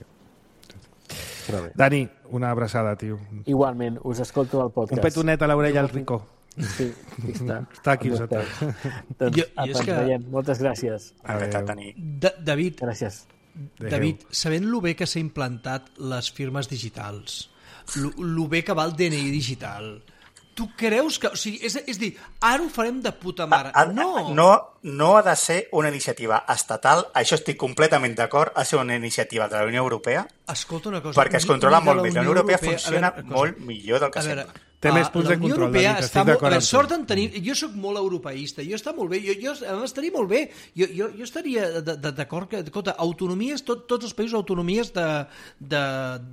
S4: Però bé.
S1: Dani, una abraçada, tio.
S4: Igualment, us escolto al podcast.
S1: Un petonet a l'orella al Rico.
S4: Sí, aquí està.
S1: Està aquí
S4: On
S1: sota.
S4: esteu? Doncs,
S2: Jo-
S4: apa,
S2: jo és
S4: ens
S2: que-
S4: veiem. Moltes gràcies.
S3: Encantat, Dani.
S2: Da David,
S4: Gràcies.
S2: David, sabent lo bé que s'ha implantat les firmes digitals, lo, lo bé que va el D N I digital, tu creus que... O sigui, és, és dir, ara ho farem de puta mare.
S3: Ha-
S2: No!
S3: no, no ha de ser una iniciativa estatal, això estic completament d'acord, ha de ser una iniciativa de la Unió Europea,
S2: Escolta una cosa...
S3: perquè es
S2: ni-
S3: controla
S2: ni de
S3: molt més. La Unió Europea funciona
S2: a veure, una
S3: molt
S2: cosa.
S3: millor del que
S2: A veure,
S3: sembla.
S1: Té més
S2: ah,
S1: punts
S2: la
S1: de
S2: Unió
S1: control,
S2: Europea
S1: David,
S2: està
S1: estic
S2: molt...
S1: d'acord
S2: A veure,
S1: amb tu.
S2: sort en tenir... Jo sóc molt europeista, jo està molt bé, jo, jo em estaria molt bé, jo, jo, jo estaria de- de- d'acord que, escolta, autonomies, tot, tots els països autonomies de, de,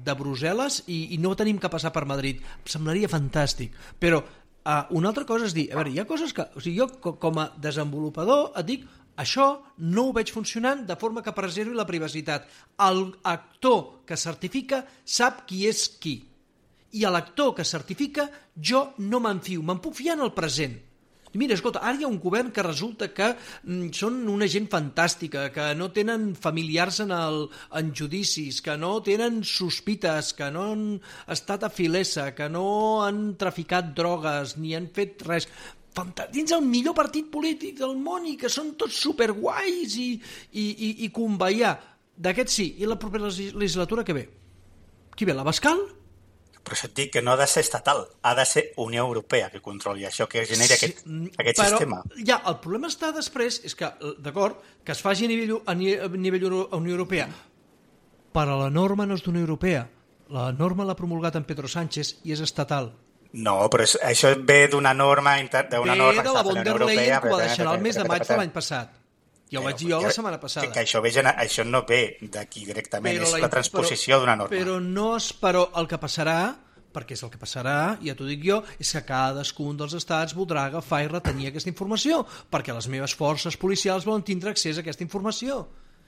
S2: de Brussel·les i, i no tenim que passar per Madrid. Em semblaria fantàstic, però uh, una altra cosa és dir, a veure, hi ha coses que... O sigui, jo co- com a desenvolupador et dic, això no ho veig funcionant de forma que preservi la privacitat. El actor que certifica sap qui és qui. I a l'actor que certifica jo no me'n fio, me'n puc fiar en el present. I mira, escolta, ara hi ha un govern que resulta que mm, són una gent fantàstica, que no tenen familiars en, el, en judicis, que no tenen sospites, que no han estat a filesa, que no han traficat drogues, ni han fet res. Fanta- dins el millor partit polític del món i que són tots superguais i, i, i, i conveiar. D'aquest sí. I la propera legis- legislatura que ve? Qui ve, la Bascal?
S3: Però això et dic que no ha de ser estatal, ha de ser Unió Europea que controli això, que generi aquest,
S2: mm,
S3: aquest
S2: però,
S3: sistema.
S2: Ja, el problema està després, és que, d'acord, que es faci a nivell, a ni- a nivell Euro- a Unió Europea, però la norma no és d'Unió Europea. La norma l'ha promulgat en Pedro Sánchez i és estatal.
S3: No, però és, això ve d'una norma inter, d'una
S2: Ve
S3: norma
S2: de la
S3: que
S2: von
S3: està
S2: der
S3: a la Unió
S2: Leyen,
S3: Europea,
S2: que ho va deixar el mes de maig de
S3: però-
S2: l'any passat. Ja ho vaig dir jo la setmana passada.
S3: Que, que això, ve, gene- això no ve d'aquí directament,
S2: Però
S3: és la transposició
S2: però-
S3: d'una norma.
S2: Però no és, però el que passarà, perquè és el que passarà, ja t'ho dic jo, és que cadascun dels estats voldrà agafar i retenir aquesta informació, perquè les meves forces policials volen tindre accés a aquesta informació.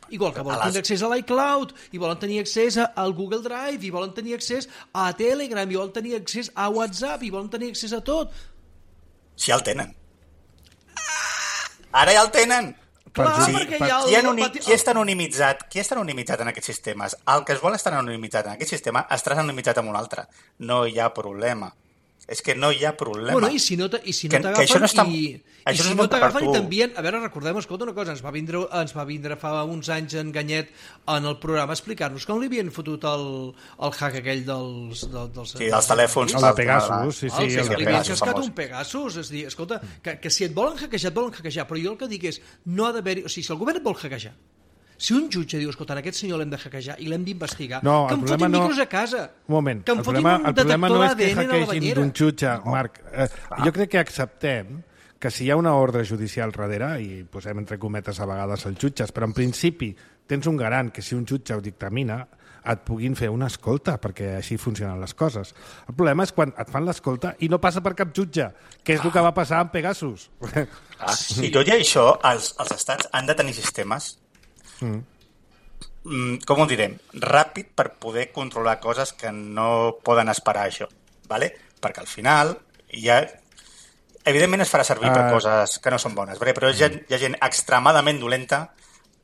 S2: Igual que volen
S3: A les-
S2: tindre accés a l'iCloud, i volen tenir accés a- al Google Drive, i volen tenir accés a Telegram, i volen tenir accés a WhatsApp, i volen tenir accés a tot.
S3: Si ja el tenen. Ara ja el tenen!
S2: Clar,
S3: Sí,
S2: perquè
S3: per-
S2: hi ha el...
S3: qui, anoni qui està anonimitzat? Qui està anonimitzat en aquests sistemes? El que es vol estar anonimitzat en aquest sistema estarà anonimitzat en un altre. No hi ha problema. És que no hi ha problema.
S2: Bueno, i si no t- i si no
S3: Que- que
S2: t'agafen
S3: això no està-
S2: i, i
S3: això
S2: si
S3: no
S2: no
S3: està per
S2: t'agafen i
S3: tu.
S2: t'envien... A veure, recordem, escolta una cosa, ens va vindre, ens va vindre fa uns anys en Ganyet en el programa a explicar-nos com li havien fotut el, el hack aquell dels... Del, dels
S3: Sí, dels telèfons.
S1: El de Pegasus, sí, sí.
S2: el,
S1: el
S2: sí,
S1: de
S2: li havien
S3: Pegasus,
S2: cascat
S3: famós.
S2: un Pegasus, és dir, escolta, que, que si et volen hackejar, et volen hackejar, però jo el que dic és, no ha d'haver-hi... O sigui, si el govern et vol hackejar, si un jutge diu, escolta, aquest senyor l'hem de hackejar i l'hem d'investigar,
S1: No,
S2: que
S1: el
S2: em
S1: problema
S2: fotin
S1: no-
S2: micros a casa,
S1: Un moment,
S2: que em
S1: el
S2: fotin
S1: problema,
S2: un
S1: el problema
S2: detector
S1: no és que
S2: d'A D N a la
S1: hackeegin
S2: banyera.
S1: d'un jutge, Marc. Eh, jo crec que acceptem que si hi ha una ordre judicial darrere, i posem entre cometes a vegades els jutges, però en principi tens un garant que si un jutge ho dictamina et puguin fer una escolta, perquè així funcionen les coses. El problema és quan et fan l'escolta i no passa per cap jutge, que és el que va passar amb Pegasus.
S3: Ah, sí. I tot i això, els, els estats han de tenir sistemes mm. Mm, com ho direm? Ràpid per poder controlar coses que no poden esperar això, ¿vale? Perquè al final hi ha... Evidentment es farà servir per
S1: Uh,
S3: coses que no són bones, ¿vale? Però hi ha, hi ha gent extremadament dolenta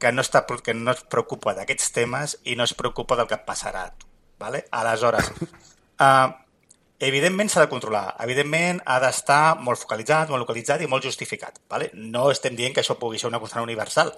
S3: que no, està, que no es preocupa d'aquests temes i no es preocupa del que et passarà a tu, ¿vale? Aleshores, uh, evidentment s'ha de controlar, evidentment ha d'estar molt focalitzat, molt localitzat i molt justificat, ¿vale? No estem dient que això pugui ser una constant universal,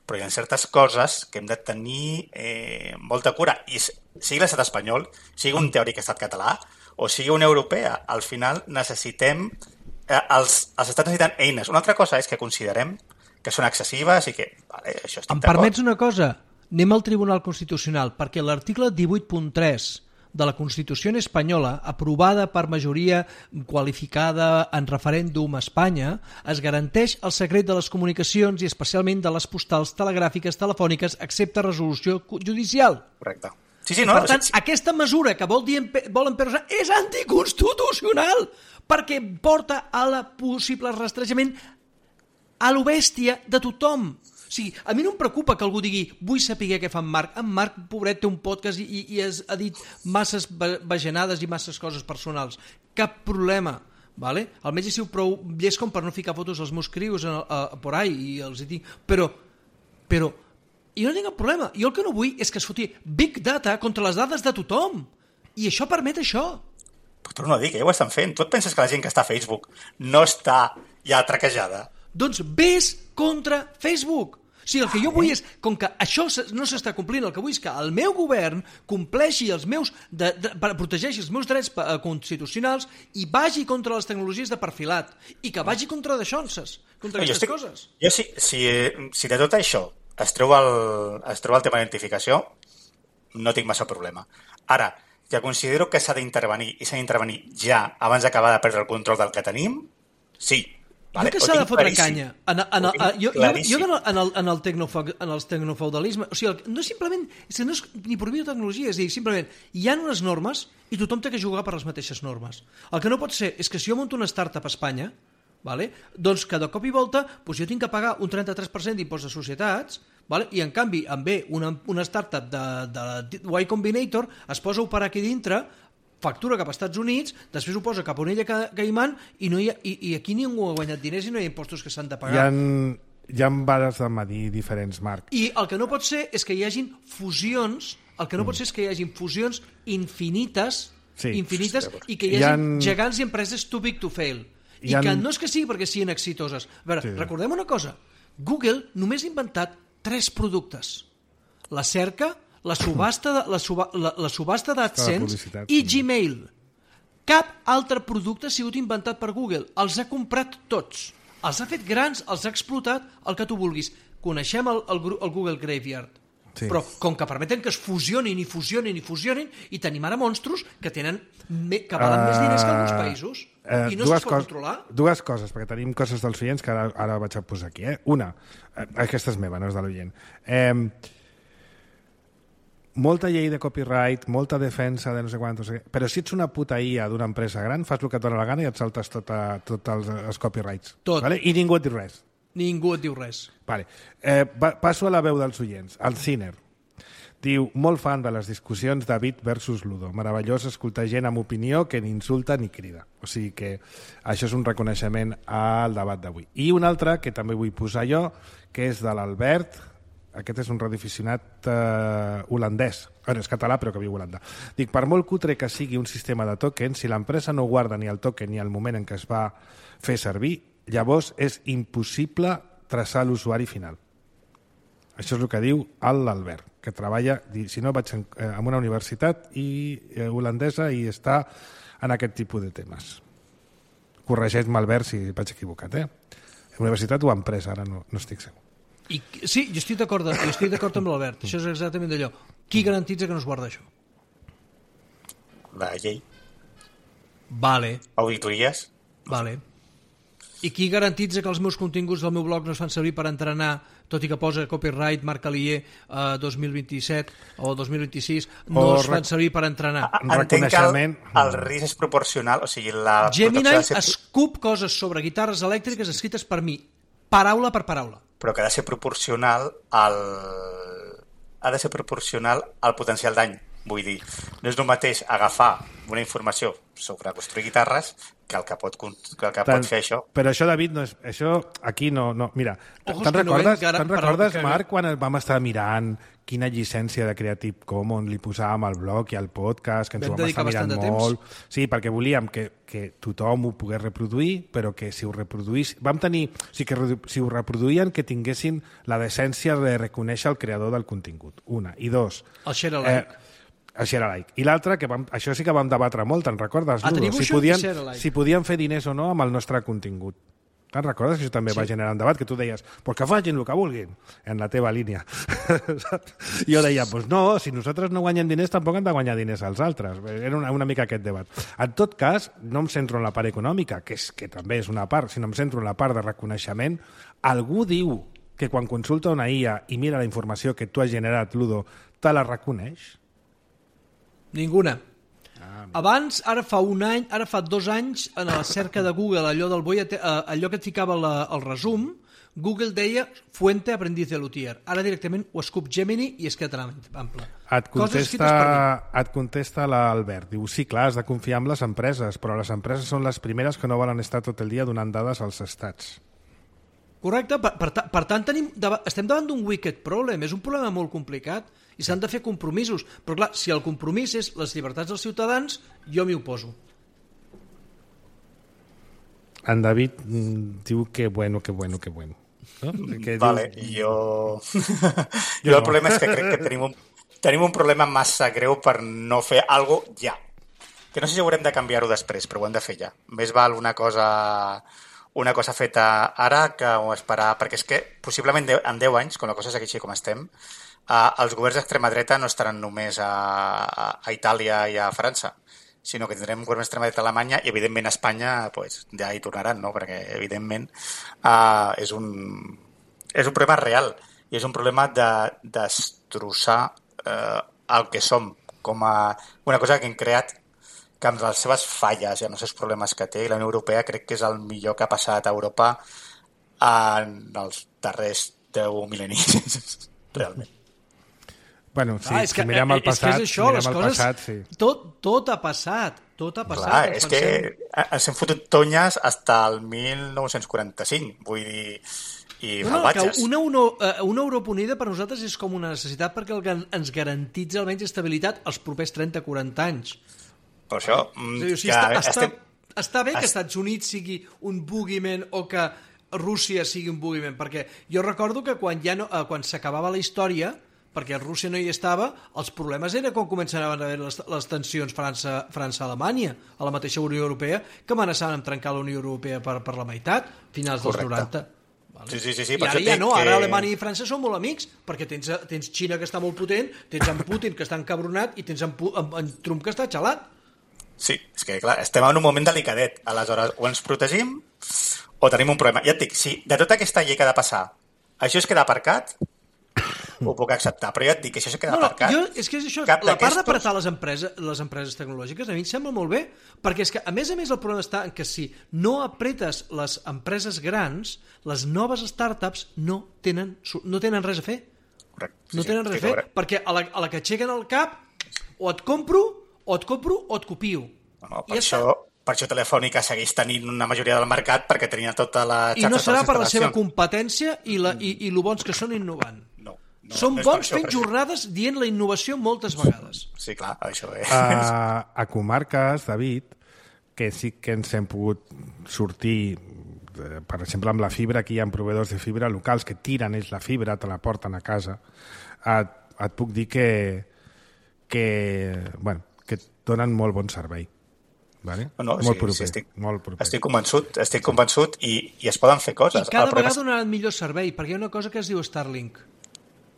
S3: però hi ha certes coses que hem de tenir eh, molta cura, i sigui l'estat espanyol, sigui un teòric estat català o sigui una europea, al final necessitem eh, els, els estats necessiten eines. Una altra cosa és que considerem que són excessives i que, vale, això estic
S2: Em
S3: d'acord.
S2: permets una cosa? Anem al Tribunal Constitucional, perquè l'article divuit punt tres de la Constitució espanyola, aprovada per majoria qualificada en referèndum a Espanya, es garanteix el secret de les comunicacions i especialment de les postals telegràfiques telefòniques, excepte resolució judicial.
S3: Correcte. Sí, sí, no?
S2: Per tant,
S3: sí, sí.
S2: aquesta mesura que vol dir volen per és anticonstitucional, perquè porta a la possible rastrejament a lo bèstia de tothom. O sigui, a mi no em preocupa que algú digui vull saber què fa en Marc. En Marc, pobret, té un podcast i, i has, ha dit masses bajanades i masses coses personals. Cap problema, vale? Almenys he sigut prou llest com per no ficar fotos als meus crios a, a, a por ahí i els hi dic... Però, però, jo no tinc cap problema. Jo el que no vull és que es foti Big Data contra les dades de tothom. I això permet això.
S3: Però tu no ho dic, ja ho estan fent. Tu et penses que la gent que està a Facebook no està ja traquejada?
S2: Doncs ves contra Facebook. O sigui, el que jo vull és, com que això no s'està complint, el que vull és que el meu govern compleixi els meus, de, de, protegeixi els meus drets constitucionals i vagi contra les tecnologies de perfilat i que vagi contra d'aixonses, contra aquestes estic, coses.
S3: Jo, si, si, si de tot això es treu el, es treu el tema d'identificació, no tinc massa problema. Ara, ja considero que s'ha d'intervenir i s'ha d'intervenir ja abans d'acabar de perdre el control del que tenim, sí.
S2: Vale, jo que s'ha de fotre canya en, en, en, jo, jo, jo en, el, en, el tecnofo, en els tecnofeudalisme, o sigui, no és simplement és que no és ni prohibir tecnologia, és a dir, simplement hi ha unes normes i tothom té que jugar per les mateixes normes. El que no pot ser és que si jo monto una startup a Espanya, vale, doncs que de cop i volta doncs jo tinc que pagar un trenta-tres per cent d'impost de societats, vale, i en canvi em ve una, una startup de, de Y Combinator, es posa a operar aquí dintre, factura cap als Estats Units, després ho posa cap a una illa Caiman i, no hi ha, i, i aquí ningú ha guanyat diners i no hi ha impostos que s'han de pagar.
S1: Hi ha, hi ha vares de medir diferents, Marc.
S2: I el que no pot ser és que hi hagin fusions, el que no mm. pot ser és que hi hagin fusions infinites, sí. infinites i que hi hagi ha... gegants i empreses too big to fail. I ha... que no és que sigui perquè siguin exitoses. A veure, sí. recordem una cosa. Google només ha inventat tres productes. La cerca, la subhasta, de, la, suba, la, la subhasta d'AdSense i Gmail. Cap altre producte ha sigut inventat per Google. Els ha comprat tots. Els ha fet grans, els ha explotat, el que tu vulguis. Coneixem el, el, el Google Graveyard. Sí. Però com que permeten que es fusionin i fusionin i fusionin i tenim ara monstros que tenen que valen uh, més diners que alguns països uh, i no es pot controlar.
S1: Dues coses, perquè tenim coses dels oients que ara, ara vaig a posar aquí. Eh? Una, aquesta és meva, no és de l'oient. Eh, molta llei de copyright, molta defensa de no sé quant, no sé què, però si ets una puta I A d'una empresa gran, fas el que et dona la gana i et saltes tots tot els, els copyrights.
S2: Tot.
S1: Vale? I ningú et diu res.
S2: Ningú et diu res.
S1: Vale. Eh, va, passo a la veu dels oients. El Ciner diu, molt fan de les discussions David versus Ludo. Meravellós escoltar gent amb opinió que ni insulta ni crida. O sigui que això és un reconeixement al debat d'avui. I un altre, que també vull posar jo, que és de l'Albert. Aquest és un radioaficionat eh, holandès. Bueno, és català, però que viu a Holanda. Dic, per molt cutre que sigui un sistema de token, si l'empresa no guarda ni el token ni el moment en què es va fer servir, llavors és impossible traçar l'usuari final. Això és el que diu l'Albert, que treballa, si no vaig en, eh, en una universitat i, eh, holandesa i està en aquest tipus de temes. Corregeix-me, Albert, si vaig equivocat. Eh? Universitat o empresa, ara no, no estic segur.
S2: I, sí, jo estic d'acord jo estic d'acord amb l'Albert. Això és exactament d'allò. Qui garantitza que no es guarda això?
S3: La llei.
S2: Vale.
S3: Auditories.
S2: Vale. I qui garantitza que els meus continguts del meu blog no es fan servir per entrenar, tot i que posa copyright Marc Alier eh, dos mil vint-i-set o dos mil vint-i-sis, no o es fan servir per entrenar?
S3: Entenc que el, el risc és proporcional, o sigui, la
S2: Gemini escup coses sobre guitarres elèctriques escrites per mi, paraula per paraula.
S3: Però que ha de ser proporcional al... ha de ser proporcional al potencial dany. Vull dir, no és el mateix agafar una informació sobre construir guitarres que el que pot, que el que pot fer això.
S1: Però això, David, no és, això aquí no... no mira, te'n recordes, no te'n recordes que... Marc, quan vam estar mirant quina llicència de Creative Commons li posàvem al blog i al podcast, que ens ho vam estar mirant molt. Sí, perquè volíem que, que tothom ho pogués reproduir, però que si ho reproduís... Vam tenir... O sigui, que si ho reproduïen, que tinguessin la decència de reconèixer el creador del contingut. Una. I dos...
S2: El share alike. Eh,
S1: el share alike. I l'altre, que vam, això sí que vam debatre molt, te'n recordes, Ludo? Si podien, si podien fer diners o no amb el nostre contingut. Te'n recordes que això també sí. va generar un debat, que tu deies, pues que facin el que vulguin, en la teva línia. Jo deia, pues no, si nosaltres no guanyem diners, tampoc hem de guanyar diners als altres. Era una, una mica aquest debat. En tot cas, no em centro en la part econòmica, que, és, que també és una part, sinó em centro en la part de reconeixement. Algú diu que quan consulta una I A i mira la informació que tu has generat, Ludo, te la reconeix?
S2: Ninguna. Abans, ara fa un any, ara fa dos anys, en la cerca de Google, allò del boi, allò que et ficava la, el resum, Google deia fuente aprendiz de luthier. Ara directament ho escup Gemini i es queda tan ample.
S1: Et contesta, et contesta l'Albert. Diu, sí, clar, has de confiar en les empreses, però les empreses són les primeres que no volen estar tot el dia donant dades als estats.
S2: Correcte. Per, per, per tant, tenim, estem davant d'un wicked problem. És un problema molt complicat i s'han de fer compromisos. Però clar, si el compromís és les llibertats dels ciutadans, jo m'hi oposo.
S1: En David diu que bueno, que bueno, que bueno. No? Que
S3: vale,
S1: diu...
S3: jo...
S1: jo...
S3: jo el problema és que crec que tenim un, tenim un problema massa greu per no fer alguna cosa ja. Que no sé si haurem de canviar-ho després, però ho hem de fer ja. Més val una cosa, una cosa feta ara que esperar, perquè és que possiblement en deu anys, quan la cosa segueixi com estem, eh, els governs d'extrema dreta no estaran només a, a Itàlia i a França, sinó que tindrem un govern d'extrema dreta a Alemanya i, evidentment, a Espanya pues, ja hi tornaran, no? Perquè, evidentment, uh, és, un, és un problema real i és un problema de destrossar uh, el que som com a una cosa que hem creat que amb les seves falles i amb els seus problemes que té, la Unió Europea crec que és el millor que ha passat a Europa en els darrers deu mil·lennis, realment.
S1: Bueno, sí,
S2: ah, és que,
S1: si mirem el passat,
S2: és que és això,
S1: si mirem
S2: les
S1: el
S2: coses,
S1: passat, sí.
S2: Tot, tot ha passat, tot ha passat.
S3: Clar, és pensem... que ens hem fotut tonyes fins al mil nou-cents quaranta-cinc, vull dir, i
S2: no, no,
S3: salvatges.
S2: Una, una, una Europa unida per nosaltres és com una necessitat perquè el que ens garantitza almenys estabilitat els propers trenta a quaranta anys.
S3: Per això...
S2: O sigui,
S3: que
S2: està,
S3: estem...
S2: està, està bé que als Estats Units sigui un boogeyman o que Rússia sigui un boogeyman, perquè jo recordo que quan, ja no, quan s'acabava la història, perquè Rússia no hi estava, els problemes era quan començaven a haver les, les tensions França, França-Alemanya, a la mateixa Unió Europea, que amenaçaven amb trencar la Unió Europea per, per la meitat, finals dels noranta. Vale?
S3: Sí, sí, sí, sí,
S2: I ara ja no,
S3: que...
S2: ara Alemanya i França són molt amics, perquè tens, tens Xina que està molt potent, tens en Putin que està encabronat i tens en, en, en Trump que està xalat.
S3: Sí, és que clar, estem en un moment delicadet. Aleshores, o ens protegim o tenim un problema. Ja et dic, si de tota aquesta llei que ha de passar, això es queda aparcat, ho puc acceptar, però ja et dic que això es queda
S2: no, no,
S3: aparcat.
S2: Jo, és que és això, la part d'apartar les empreses, les empreses tecnològiques a mi em sembla molt bé, perquè és que a més a més el problema està en que si no apretes les empreses grans, les noves startups no tenen, no tenen res a fer.
S3: Correcte. Sí,
S2: no tenen
S3: sí,
S2: res a fer, perquè a la, a la que aixequen el cap o et compro, o et compro o et copio.
S3: No, no, per, I això, per això Telefònica segueix tenint una majoria del mercat perquè tenia tota la xarxa.
S2: I no serà per la seva competència i, la, i, i lo bons que són innovant.
S3: No. No,
S2: Són
S3: no
S2: bons fent jornades dient la innovació moltes vegades.
S3: Sí, clar, això és.
S1: A, a comarques, David, que sí que ens hem pogut sortir, per exemple, amb la fibra, aquí hi ha proveïdors de fibra locals que tiren ells la fibra, te la porten a casa, et, et puc dir que, que, bueno, que donen molt bon servei. Vale?
S3: No, no,
S1: molt
S3: sí,
S1: proper,
S3: sí, estic,
S1: molt proper.
S3: estic convençut, estic convençut i, i es poden fer coses.
S2: I cada vegada donaran millor servei, perquè hi ha una cosa que es diu Starlink.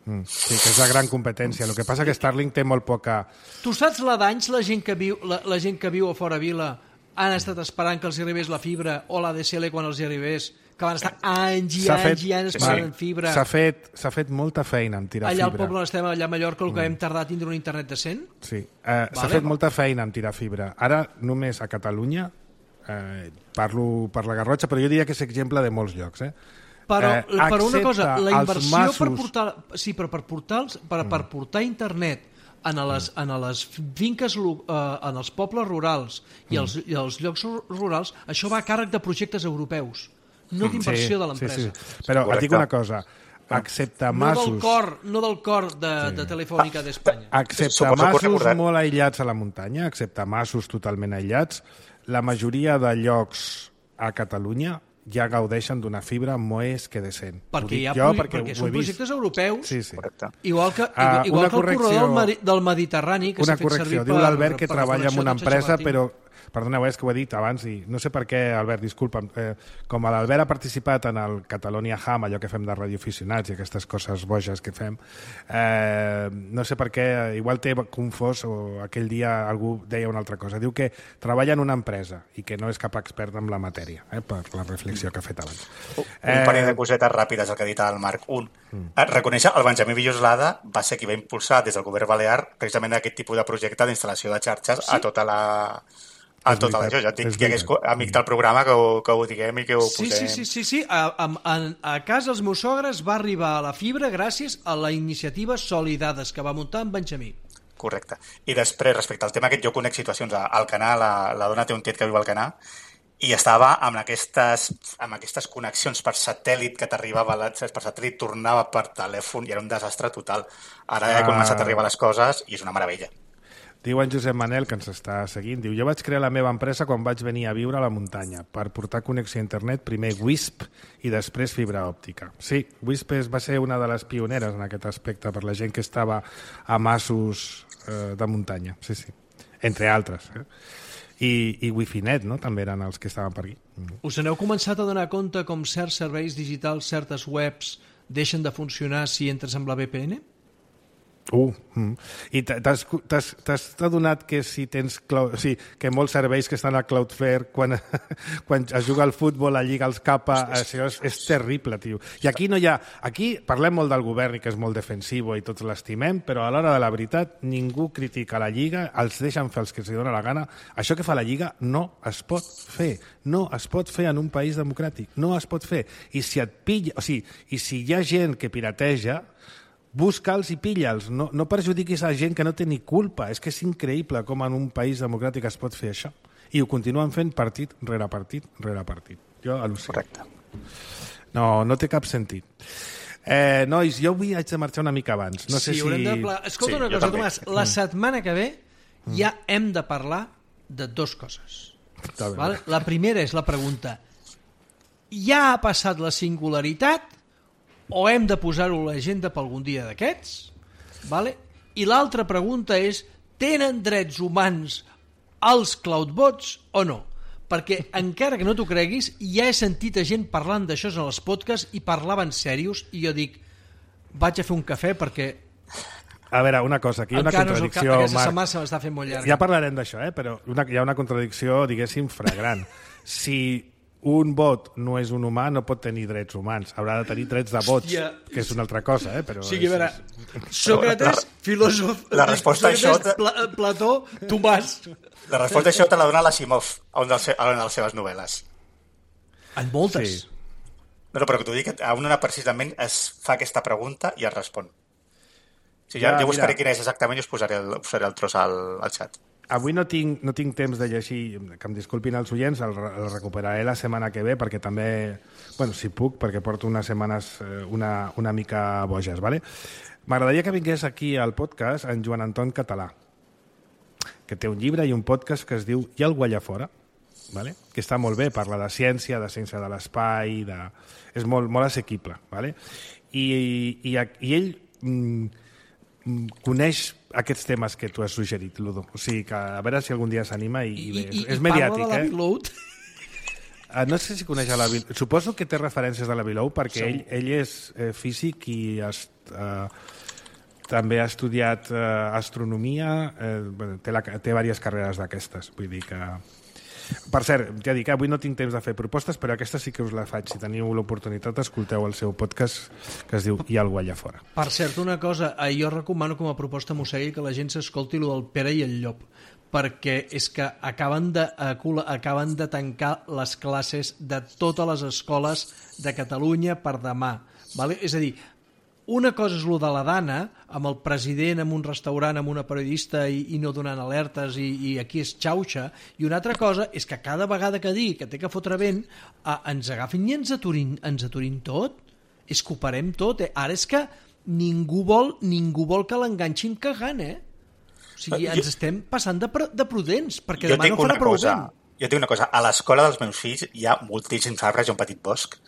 S1: Mm, sí, que és la gran competència. El que passa que Starlink té molt poca...
S2: Tu saps la d'anys la gent que viu la, la gent que viu a fora vila han estat esperant que els arribés la fibra o la D S L quan els arribés, que van estar anys i anys fet, i anys esperant sí, fibra.
S1: S'ha fet, s'ha fet molta feina en tirar
S2: allà
S1: fibra.
S2: Allà al poble on estem, allà a Mallorca, el que mm. hem tardat a tindre un internet decent.
S1: Sí, eh, vale. S'ha fet molta feina en tirar fibra. Ara, només a Catalunya, eh, parlo per la Garrotxa, però jo diria que és exemple de molts llocs, eh?
S2: Però, eh, però una cosa, la inversió
S1: masos...
S2: per portar, sí, però per portar, per, per portar internet en les, en les finques, eh, en els pobles rurals i els, i els llocs rurals, això va a càrrec de projectes europeus, no d'inversió sí, de l'empresa.
S1: Sí, sí. Però et dic una cosa, excepte masos...
S2: No del cor, no del cor de, sí. de Telefònica d'Espanya.
S1: Excepte Suposo masos molt aïllats a la muntanya, excepte masos totalment aïllats, la majoria de llocs a Catalunya ja gaudeixen d'una fibra més que decent.
S2: Perquè, hi ha, jo, perquè, perquè són projectes europeus,
S1: sí, sí.
S2: igual que, uh, igual que el corredor del, del Mediterrani, que s'ha fet servir per...
S1: Diu l'Albert que treballa en una empresa, però... Perdoneu, és que ho he dit abans i no sé per què, Albert, disculpa'm. Eh, com l'Albert ha participat en el Catalonia Ham, allò que fem de radioaficionats i aquestes coses boges que fem, eh, no sé per què, igual té confós o aquell dia algú deia una altra cosa. Diu que treballa en una empresa i que no és cap expert en la matèria, eh, per la reflexió que ha fet abans.
S3: Un eh... parell de cosetes ràpides, el que ha dit el Marc. Un, mm. reconèixer el Benjamí Villoslada va ser qui va impulsar des del govern balear precisament aquest tipus de projecte d'instal·lació de xarxes sí? a tota la... Ah, tot això, ja et dic que és amic del programa que ho, que ho diguem i que ho
S2: sí,
S3: posem.
S2: Sí, sí, sí, sí. A, a, a, a casa els meus sogres va arribar a la fibra gràcies a la iniciativa Solidades que va muntar en Benjamí.
S3: Correcte. I després, respecte al tema aquest, jo conec situacions al Canà, la, la dona té un tiet que viu al Canà, i estava amb aquestes, amb aquestes connexions per satèl·lit que t'arribava l'accés per satèl·lit, tornava per telèfon i era un desastre total. Ara ja he començat a arribar les coses i és una meravella.
S1: Diu en Josep Manel, que ens està seguint, diu, jo vaig crear la meva empresa quan vaig venir a viure a la muntanya per portar connexió a internet, primer Wisp i després fibra òptica. Sí, Wisp va ser una de les pioneres en aquest aspecte per la gent que estava a masos eh, de muntanya, sí, sí, entre altres. Eh? I, i Wifinet, no?, també eren els que estaven per aquí. Mm.
S2: Us n'heu començat a donar compte com certs serveis digitals, certes webs, deixen de funcionar si entres amb la V P N?
S1: Uh, mm. I t'has adonat que si tens cloud, o sigui, que molts serveis que estan a Cloudflare quan, quan es juga al futbol, la Lliga els capa, això és, és terrible, tio. I aquí no hi ha... Aquí parlem molt del govern i que és molt defensiu i tots l'estimem, però a l'hora de la veritat ningú critica la Lliga, els deixen fer els que els dona la gana. Això que fa la Lliga no es pot fer. No es pot fer en un país democràtic. No es pot fer. I si et pilla... O sigui, i si hi ha gent que pirateja, busca'ls i pilla'ls, no, no perjudiquis a gent que no té ni culpa. És que és increïble com en un país democràtic es pot fer això. I ho continuen fent partit rere partit rere partit. Jo al·lucino.
S3: Correcte.
S1: No, no té cap sentit. Eh, nois, jo avui haig de marxar una mica abans. No sé
S2: sí,
S1: si...
S2: De pla... Escolta
S3: sí,
S2: una cosa,
S3: també.
S2: Tomàs. La setmana que ve ja hem de parlar de dues coses. Vale? La primera és la pregunta. Ja ha passat la singularitat o hem de posar-ho a l'agenda per algun dia d'aquests? Vale? I l'altra pregunta és, tenen drets humans els cloudbots o no? Perquè encara que no t'ho creguis, ja he sentit a gent parlant d'això en els podcasts i parlaven serios i jo dic, vaig a fer un cafè perquè...
S1: A veure, una cosa, aquí hi ha una
S2: encara
S1: contradicció,
S2: no aquesta
S1: Marc.
S2: setmana se m'està fent molt llarga.
S1: Ja parlarem d'això, eh? Però una, hi ha una contradicció, diguéssim, flagrant. Si un bot no és un humà, no pot tenir drets humans. Haurà de tenir drets de bots,
S2: Hòstia.
S1: Que és una altra cosa, eh? Però
S2: O sigui, a veure,
S1: és...
S2: Sòcrates, filòsof...
S3: La resposta a això...
S2: Pla Plató, Tomàs...
S3: La resposta a això te la dona l'Asimov a una de les seves novel·les.
S2: En moltes.
S1: Sí.
S3: No, no, però que t'ho dic, a una precisament es fa aquesta pregunta i es respon. O sigui, ja,
S1: Ja,
S3: jo buscaré
S1: mira.
S3: quin és exactament i us posaré el, posaré el tros al, al xat.
S1: Avui no tinc, no tinc temps de llegir, que em disculpin els oients, el, el recuperaré la setmana que ve, perquè també, bueno, si puc, perquè porto unes setmanes eh, una, una mica boges, ¿vale? M'agradaria que vingués aquí al podcast en Joan Anton Català, que té un llibre i un podcast que es diu Hi ha algú allà fora, ¿vale? Que està molt bé, parla de ciència, de ciència de l'espai, de... és molt, molt assequible, ¿vale? I, i, i ell mm, coneix aquests temes que tu has suggerit, Ludo. O sigui, que a veure si algun dia s'anima i, i bé.
S2: I, i,
S1: és
S2: i
S1: mediàtic,
S2: parla de la
S1: eh?
S2: Below.
S1: Uh, no sé si coneix a la Below. Suposo que té referències de la Below perquè ell, ell és eh, físic i es, uh, també ha estudiat uh, astronomia, eh, bueno, té, la, té diverses carreres d'aquestes. Vull dir que... Per cert, ja dic, avui no tinc temps de fer propostes, però aquesta sí que us la faig. Si teniu l'oportunitat, escolteu el seu podcast que es diu Hi ha algú allà fora.
S2: Per cert, una cosa, eh, jo recomano com a proposta Mossegui que la gent s'escolti lo del Pere i el Llop, perquè és que acaben de, acaben de tancar les classes de totes les escoles de Catalunya per demà. Vale? És a dir, una cosa és lo de la Dana, amb el president en un restaurant, amb una periodista i, i no donant alertes i, i aquí és xauxa, i una altra cosa és que cada vegada que digui que té que fotre vent eh, ens agafin i ens aturin, ens aturin tot, és que ho parem tot, eh? Ara és que ningú vol, ningú vol que l'enganxin cagant, eh? O sigui, ens jo, estem passant de, de prudents, perquè demà no farà prou
S3: cosa,
S2: vent.
S3: Jo tinc una cosa, a l'escola dels meus fills hi ha moltíssims arbres i un petit bosc,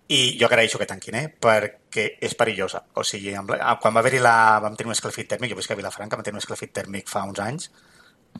S3: i jo agraeixo que tanquin, eh? Perquè és perillosa. O sigui, quan va haver-hi la... vam tenir un escalfit tèrmic, jo veig que a Vilafranca vam tenir un escalfit tèrmic fa uns anys,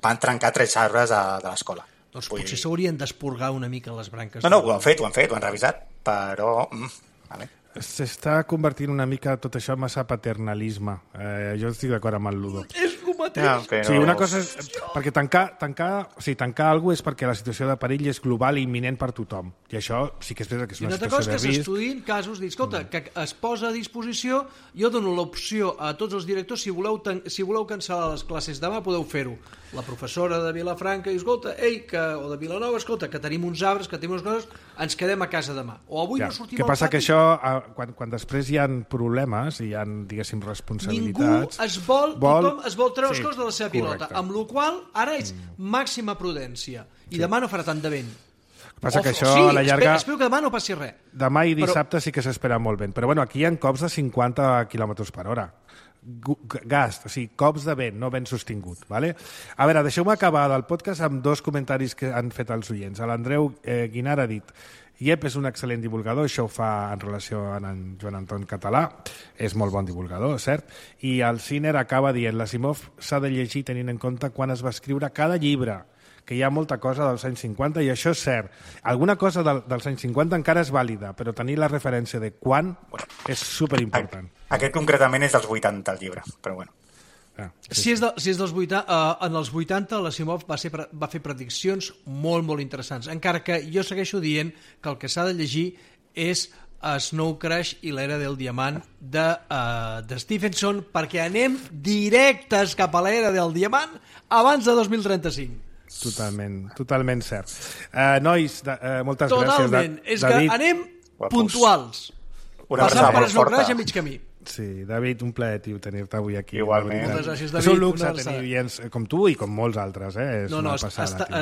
S3: van trencar tres arbres de, de l'escola.
S2: Doncs Vull potser dir... s'haurien d'esporgar una mica les branques.
S3: No, no, ho han fet, ho han fet, ho han revisat, però... Mm, vale.
S1: S'està convertint una mica tot això en massa paternalisme. Eh, jo estic d'acord amb el Ludo.
S2: És tu mateix.
S3: Ja, però...
S1: Sí, una cosa és... Perquè tancar, tancar, o sigui, tancar alguna cosa és perquè la situació de perill és global i imminent per tothom. I això sí que és veritat que és
S2: I
S1: una
S2: una altra
S1: situació
S2: cosa
S1: de
S2: que
S1: risc.
S2: s'estudiïn casos, dic, escolta, que es posa a disposició, jo dono l'opció a tots els directors, si voleu, tan- si voleu cancel·lar les classes demà, podeu fer-ho. La professora de Vilafranca diu, escolta, ei, que, o de Vilanova, escolta, que tenim uns arbres, que tenim unes coses, ens quedem a casa demà. O avui
S1: Ja.
S2: no sortim
S1: Que
S2: al
S1: passa
S2: pati.
S1: que això, eh, quan, quan després hi ha problemes i hi ha, diguéssim,
S2: Ningú
S1: responsabilitats...
S2: es vol,
S1: vol-
S2: tothom es vol treure
S1: Sí,
S2: les coses de la seva pilota,
S1: correcte.
S2: amb la qual ara és màxima prudència. I demà no farà tant de vent.
S1: Passa que
S2: O-
S1: això,
S2: sí,
S1: a la llarga...
S2: espero, espero que demà no passi res.
S1: Demà i
S2: Però-
S1: dissabte sí que s'espera molt vent. Però bueno, aquí hi ha cops de cinquanta quilòmetres per hora. Gu- Gast, o sigui, cops de vent, no vent sostingut. Vale? A veure, deixeu-me acabar del podcast amb dos comentaris que han fet els oients. L'Andreu eh, Guinar ha dit: Iep és un excel·lent divulgador, això ho fa en relació amb en Joan Anton Català, és molt bon divulgador, cert? I el Ciner acaba dient: l'Asimov s'ha de llegir tenint en compte quan es va escriure cada llibre, que hi ha molta cosa dels anys cinquanta, i això és cert. Alguna cosa del, dels anys cinquanta encara és vàlida, però tenir la referència de quan és superimportant.
S3: Aquest concretament és dels vuitanta, el llibre, però bueno.
S1: Ah,
S2: Si és, de, si és dels vuitanta, uh, en els vuitanta l'Asimov va, ser, pre- va fer prediccions molt, molt interessants, encara que jo segueixo dient que el que s'ha de llegir és Snow Crash i l'era del diamant de, uh, de Stephenson, perquè anem directes cap a l'era del diamant abans de dos mil trenta-cinc.
S1: Totalment, totalment cert. Uh, nois, de, uh, moltes
S2: Totalment.
S1: gràcies. Da-
S2: És que
S1: David,
S2: anem
S3: Guapos.
S2: puntuals.
S3: Una
S2: Passant
S3: abraçada
S2: per
S3: molt
S2: Snow
S3: forta.
S2: Crash a mig camí.
S1: Sí, David, un plaer, tio, tenir-te avui aquí.
S3: Igualment.
S1: de veritat.
S2: Moltes gràcies,
S1: És
S2: David.
S1: un luxe
S2: Una
S1: tenir
S2: abraçada.
S1: oients com tu i com molts altres, eh? És
S2: No, no,
S1: una
S2: està,
S1: passada,
S2: està,
S1: tio.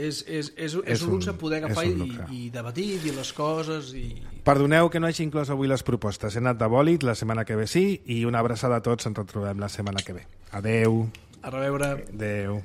S2: uh, és, és, és, és,
S1: És
S2: un luxe
S1: un-
S2: poder agafar
S1: és
S2: i,
S1: un luxe.
S2: i debatir, dir les coses i...
S1: Perdoneu que no hagi inclòs avui les propostes. He anat de bòlit, la setmana que ve sí, i una abraçada a tots, ens retrobem la setmana que ve. Adeu.
S2: A reveure.
S1: Adeu.